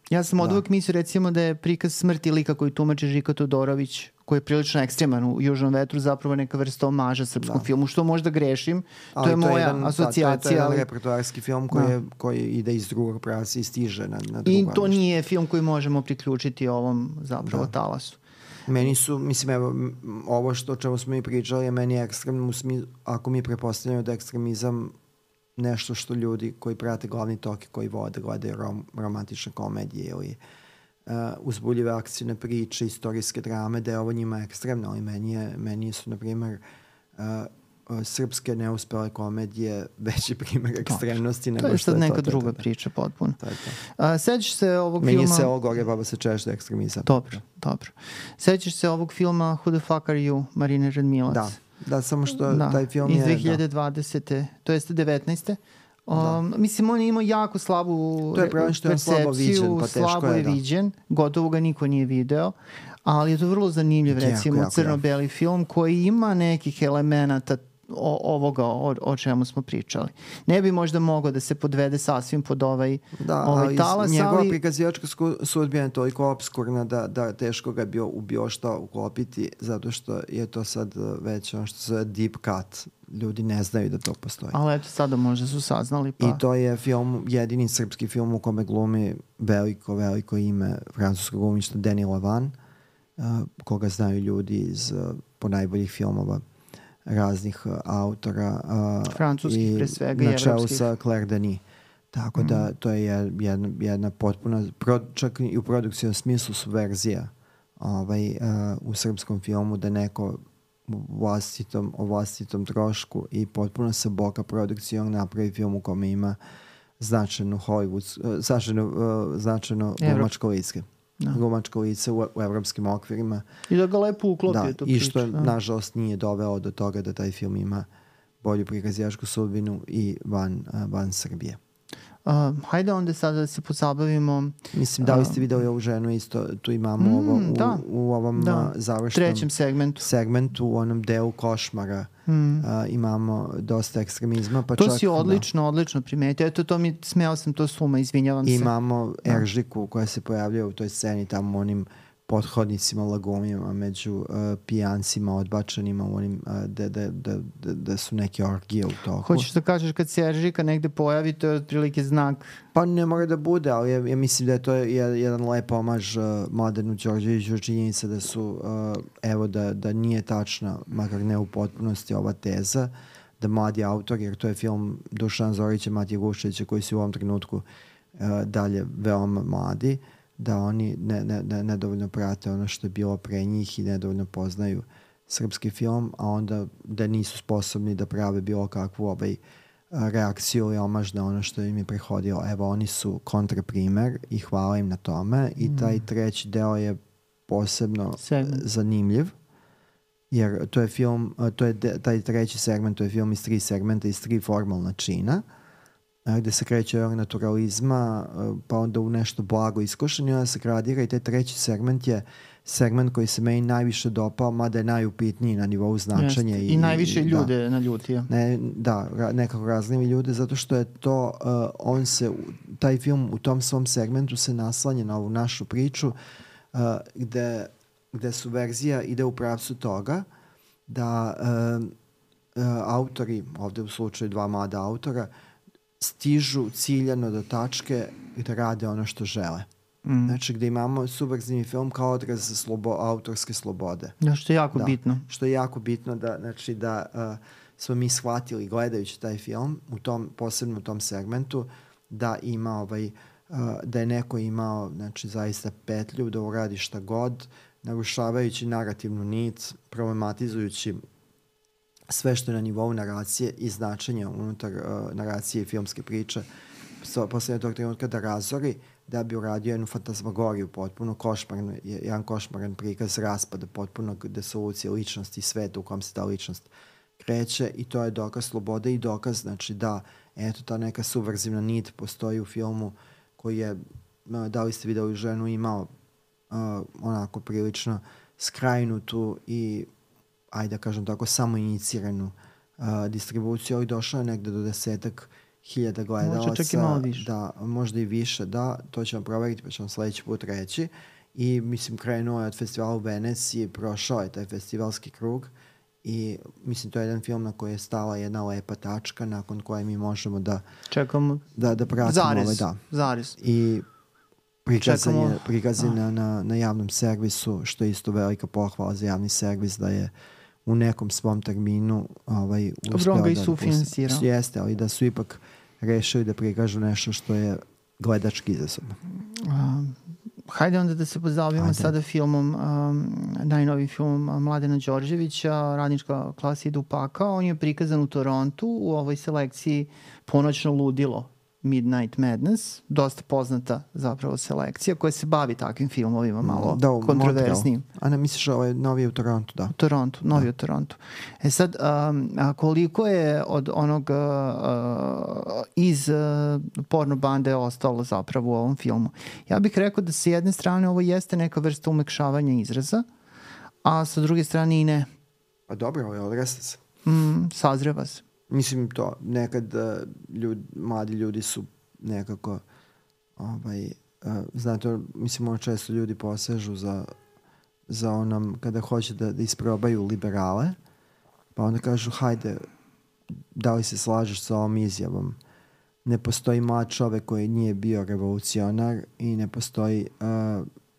Ja sam od uvek mislio recimo da je prikaz smrti lika koji tumači Žika Todorović, koji je prilično ekstreman u Južnom vetru, zapravo neka vrsta omaža srpskom filmu, što možda grešim. To je moja asocijacija. To je jedan repertoarski film koji ide iz drugog pravca i stiže na drugo. I to nije film koji možemo priključiti ovom zapravo talasu. Meni su, mislim, evo, ovo o čemu smo i pričali je meni ekstremno, ako mi prepostavljamo da je ekstremizam nešto što ljudi koji prate glavni tok i koji vode, gledaju romantične komedije ili uzbuljive akcijne priče, istorijske drame, da je ovo njima ekstremno, ali meni su, na primjer, srpske neuspele komedije veći primjer ekstremnosti nego što je to. To je sad neka druga priča potpuno. Sećaš se ovog filma... Meni je Selo gore, baba se češlja ekstremizam. Dobro. Sećaš se ovog filma Who the fuck are you, Marine Radmilac? Da, samo što taj film iz 2020. To jeste 19. Mislim, on je imao jako slabu percepciju, slabo je viđen, gotovo ga niko nije video, ali je to vrlo zanimljiv, recimo, crno-beli film koji ima nekih elemenata ovoga o čemu smo pričali. Ne bi možda mogao da se podvede sasvim pod ovaj talas, njegova prikazivačka sudbina je toliko obskurna da teško ga bi bio šta uklopiti, zato što je to sad već ono što se zove deep cut. Ljudi ne znaju da to postoji. Ali eto, sada možda su saznali. I to je jedini srpski film u kome glumi veliko ime francuskog glumišta Denis Lavant, koga znaju ljudi iz ponajboljih filmova raznih autora francuskih pre svega i evropskih. Na čelu sa Claire Denis. Tako da to je jedna potpuna, čak i u produkcijnom smislu subverzija u srpskom filmu, da neko o vlastitom trošku i potpuno sa boka produkcijom napravi film u kome ima značajno glumačko lice. Glumačko lice u evropskim okvirima. I da ga lepo uklopi to priča. I što nažalost nije doveo do toga da taj film ima bolju prikazivačku sudbinu i van Srbije. Hajde onda sada da se pozabavimo... Mislim, da li ste videli ovu ženu isto, tu imamo u ovom završnom trećem segmentu, u onom delu košmara. Imamo dosta ekstremizma. Pa to si odlično primetio. Eto, smeo sam to suma, izvinjavam se. Imamo Eržiku koja se pojavljuje u toj sceni tamo onim pothodnicima, lagumima, među pijancima, odbačenima, u onim da su neke orgije u toku. Hoćeš da kažeš kad se Eržika negde pojavi, to je otprilike znak? Pa ne mora da bude, ali ja mislim da je to jedan lep omaž Mladenu Đorđeviću, činjenica da su, evo da nije tačna, makar ne u potpunosti, ova teza, da mladi autor, jer to je film Dušana Zorića, Matije Guševića, koji su u ovom trenutku dalje veoma mladi, da oni nedovoljno prate ono što je bilo pre njih i nedovoljno poznaju srpski film, a onda da nisu sposobni da prave bilo kakvu reakciju ili omaž na ono što im je prehodilo. Evo, oni su kontraprimer i hvala im na tome i taj treći deo je posebno zanimljiv, jer to je film, taj treći segment, to je film iz 3 segmenta, iz 3 formalna čina, gde se kreće od naturalizma, pa onda u nešto blago iskušenje, onda se gradira i taj treći segment je segment koji se meni najviše dopao, mada je najupitniji na nivou značenja. I najviše ljude naljutio. Nekako raznimi ljude, zato što je to, taj film u tom svom segmentu se naslanja na ovu našu priču, gde su verzija ide u pravcu toga da autori, ovde u slučaju 2 mlada autora, stižu ciljano do tačke gde rade ono što žele. Znači, gde imamo subverzivni film kao odraz autorske slobode. Što je jako bitno. Što je jako bitno da smo mi shvatili gledajući taj film, posebno u tom segmentu, da ima da je neko imao, znači, zaista petlju da uradi šta god, narušavajući narativnu nit, problematizujući sve što je na nivou naracije i značenja unutar naracije i filmske priče, poslednje tog trenutka da razori, da bi uradio jednu fantasmagoriju potpuno, jedan košmaran prikaz raspada potpuno desolucije ličnosti i sveta u kom se ta ličnost kreće, i to je dokaz slobode i dokaz, znači, da eto ta neka subverzivna nit postoji u filmu koji je, da li ste videli ženu, imao onako prilično skrajnutu i, ajde da kažem tako, samo iniciranu distribuciju, ali došao je negde do 10.000 gledalaca. Možda čak i malo više. Da, možda i više, da. To ćemo proveriti, pa ćemo sledeći put reći. I, mislim, krenuo je od festivala u Veneciji, prošao je taj festivalski krug i, mislim, to je jedan film na koji je stala jedna lepa tačka nakon koje mi možemo da čekamo, da pratimo zarez. I prikazan je na javnom servisu, što je isto velika pohvala za javni servis, da je u nekom svom terminu uspeo da sufinansirao. Jeste, ali da su ipak rešili da prikažu nešto što je gledački izazovno. Hajde onda da se pozabavimo sada filmom, najnovijim filmom Mladena Đorđevića, Radnička klasa ide u pakao. On je prikazan u Torontu u ovoj selekciji Ponoćno ludilo, Midnight Madness, dosta poznata zapravo selekcija koja se bavi takvim filmovima, malo kontroversnim. A ne misliš novi u Torontu, da? U Torontu, novi u Torontu. Sad, koliko je od onog iz porno bande ostalo zapravo u ovom filmu? Ja bih rekao da sa jedne strane ovo jeste neka vrsta umekšavanja izraza, a sa druge strane i ne. Pa dobro, ali odrasta se. Sazreva se. Mislim, to nekad mladi ljudi su nekako znate, mislim, često ljudi posežu za onom kada hoće da isprobaju liberale, pa onda kažu, hajde, da li se slažeš sa ovom izjavom? Ne postoji mlad čovek koji nije bio revolucionar i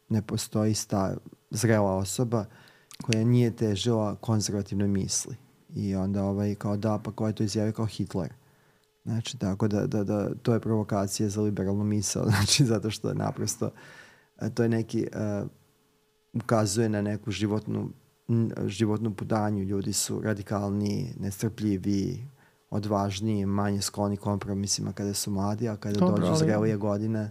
ne postoji zrela osoba koja nije težila konzervativnoj misli. I onda kao da, pa ko je to izjavio, kao Hitler. Znači, tako da to je provokacija za liberalnu misao, znači, zato što naprosto to je neki, ukazuje na neku životnu putanju. Ljudi su radikalniji, nestrpljiviji, odvažniji, manje skloni kompromisima kada su mladi, a kada dođu zrelije godine.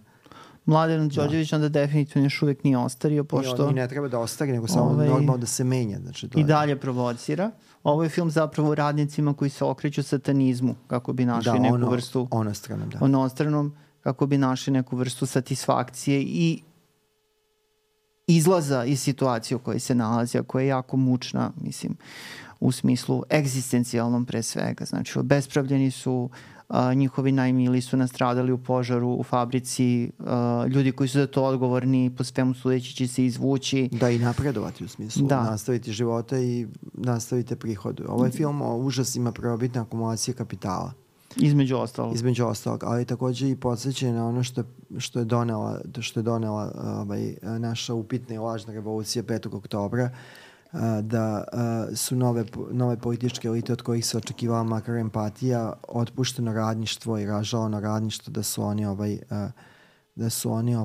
Mladen Đorđević onda definitivno još uvek nije ostario, pošto... I ne treba da ostari, nego samo normalno da se menja. Znači, I dalje provocira. Ovo je film zapravo o radnicima koji se okreću satanizmu, kako bi našli neku vrstu... Onostranom, kako bi našli neku vrstu satisfakcije i izlaza iz situacije u kojoj se nalazi, a koja je jako mučna, mislim, u smislu egzistencijalnom pre svega. Znači, obespravljeni su, njihovi najmili su nastradali u požaru u fabrici, ljudi koji su za to odgovorni po svemu sudeći će se izvući. Da, i napredovati u smislu, nastaviti života i nastaviti prihod. Ovo je film o užasima prvobitne akumulacije kapitala. Između ostalog. Ali takođe i podsjećanje na ono što je donela naša upitna i lažna revolucija 5. oktobra, da su nove političke elite od kojih se očekivala makar empatija, otpušteno radništvo i ražalano radništvo, da su oni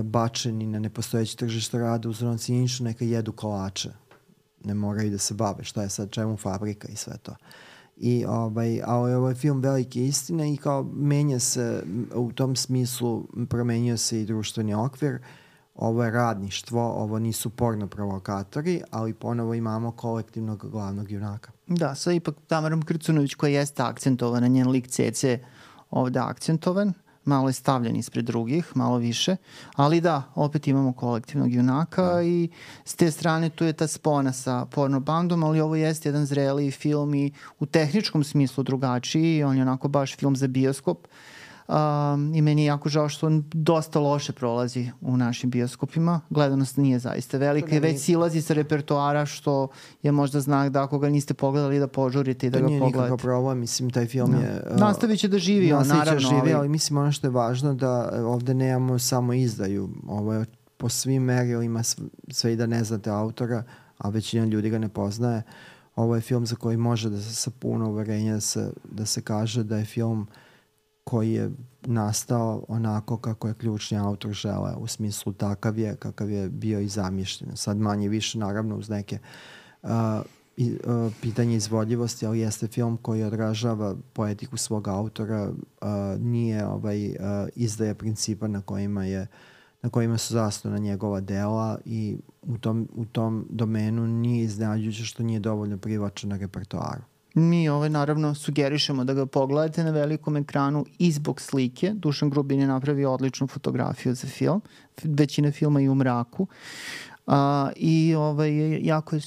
bačeni na nepostojeće tržište rada, uzorno cinično, neka jedu kolače. Ne moraju da se bave šta je sad, čemu fabrika i sve to. Ali ovo je film velike istine i kao menja se u tom smislu, promenio se i društveni okvir. Ovo je radništvo, ovo nisu porno provokatori, ali ponovo imamo kolektivnog glavnog junaka. Da, sad ipak Tamarom Krcunović koja jeste akcentovana, njen lik Cece ovde akcentovan, malo je stavljen ispred drugih, malo više, ali da, opet imamo kolektivnog junaka i s te strane tu je ta spona sa porno bandom, ali ovo jeste jedan zreliji film i u tehničkom smislu drugačiji, on je onako baš film za bioskop. I meni je jako žao što on dosta loše prolazi u našim bioskopima. Gledanost nije zaista velika i već silazi sa repertoara, što je možda znak da ako ga niste pogledali da požurite i da ga pogledate. To nije nikakav problem, mislim taj film je... Nastavit će da živi, naravno. Ali mislim ono što je važno da ovde nemamo samo izdaju. Ovo je po svim merilima, sve i da ne znate autora, a većina ljudi ga ne poznaje. Ovo je film za koji može da se sa puno uverenja da se kaže da je film koji je nastao onako kako je ključni autor želeo, u smislu kakav je bio i zamišljen. Sad manje više, naravno, uz neke pitanje izvodljivosti, ali jeste film koji odražava poetiku svog autora, nije izdaja principa na kojima su zasnovana njegova dela i u tom domenu nije iznenađujuće što nije dovoljno privlačen na repertoaru. Mi naravno sugerišemo da ga pogledate na velikom ekranu i zbog slike. Dušan Grubin je napravio odličnu fotografiju za film. Većina filma je u mraku. I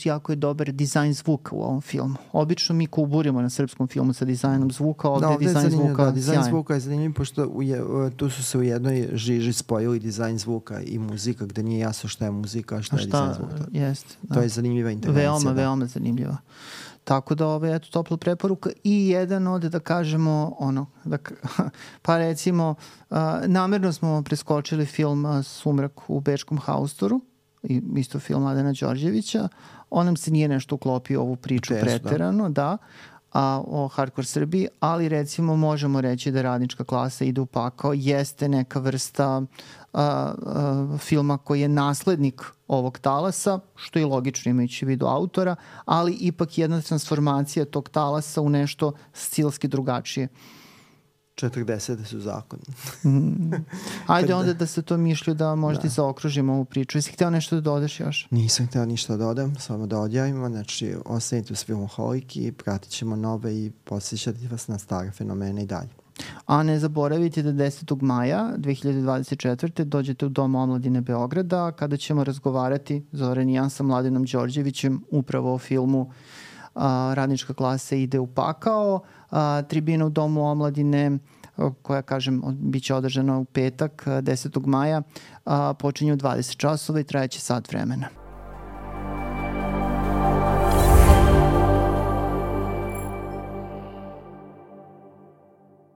jako je dobar dizajn zvuka u ovom filmu. Obično mi kuburimo na srpskom filmu sa dizajnom zvuka, ovde je dizajn zvuka sjajan. Dizajn zvuka je zanimljiv, pošto tu su se u jednoj žiži spojili dizajn zvuka i muzika, gde nije jasno šta je muzika, a šta je dizajn zvuka. To je zanimljiva intervencija. Veoma zanimljiva. Tako da eto topla preporuka i jedan od, da kažemo, pa recimo, namerno smo preskočili film Sumrak u Bečkom haustoru, isto film Mladena Đorđevića, on nam se nije nešto uklopio ovu priču preterano, o Hardcore Srbiji, ali recimo možemo reći da Radnička klasa ide u pakao, jeste neka vrsta filma koji je naslednik ovog talasa, što je logično imajući vidu autora, ali ipak jedna transformacija tog talasa u nešto stilski drugačije. 40 su zakoni. Ajde onda da se to mišlju da možda i zaokružimo ovu priču. Jesi hteo nešto da dodaš još? Nisam hteo ništa da dodam, samo da odjavimo. Znači, ostanite uz Filmoholik i pratit ćemo nove i posjećati vas na stare fenomene i dalje. A ne zaboravite da 10. maja 2024. dođete u Dom omladine Beograda kada ćemo razgovarati, Zoran i ja, sa Mladenom Đorđevićem upravo o filmu Radnička klasa ide u pakao. Tribina u Domu omladine koja, kažem, bit će održana u petak 10. maja počinje u 20 časova i trajeće sat vremena.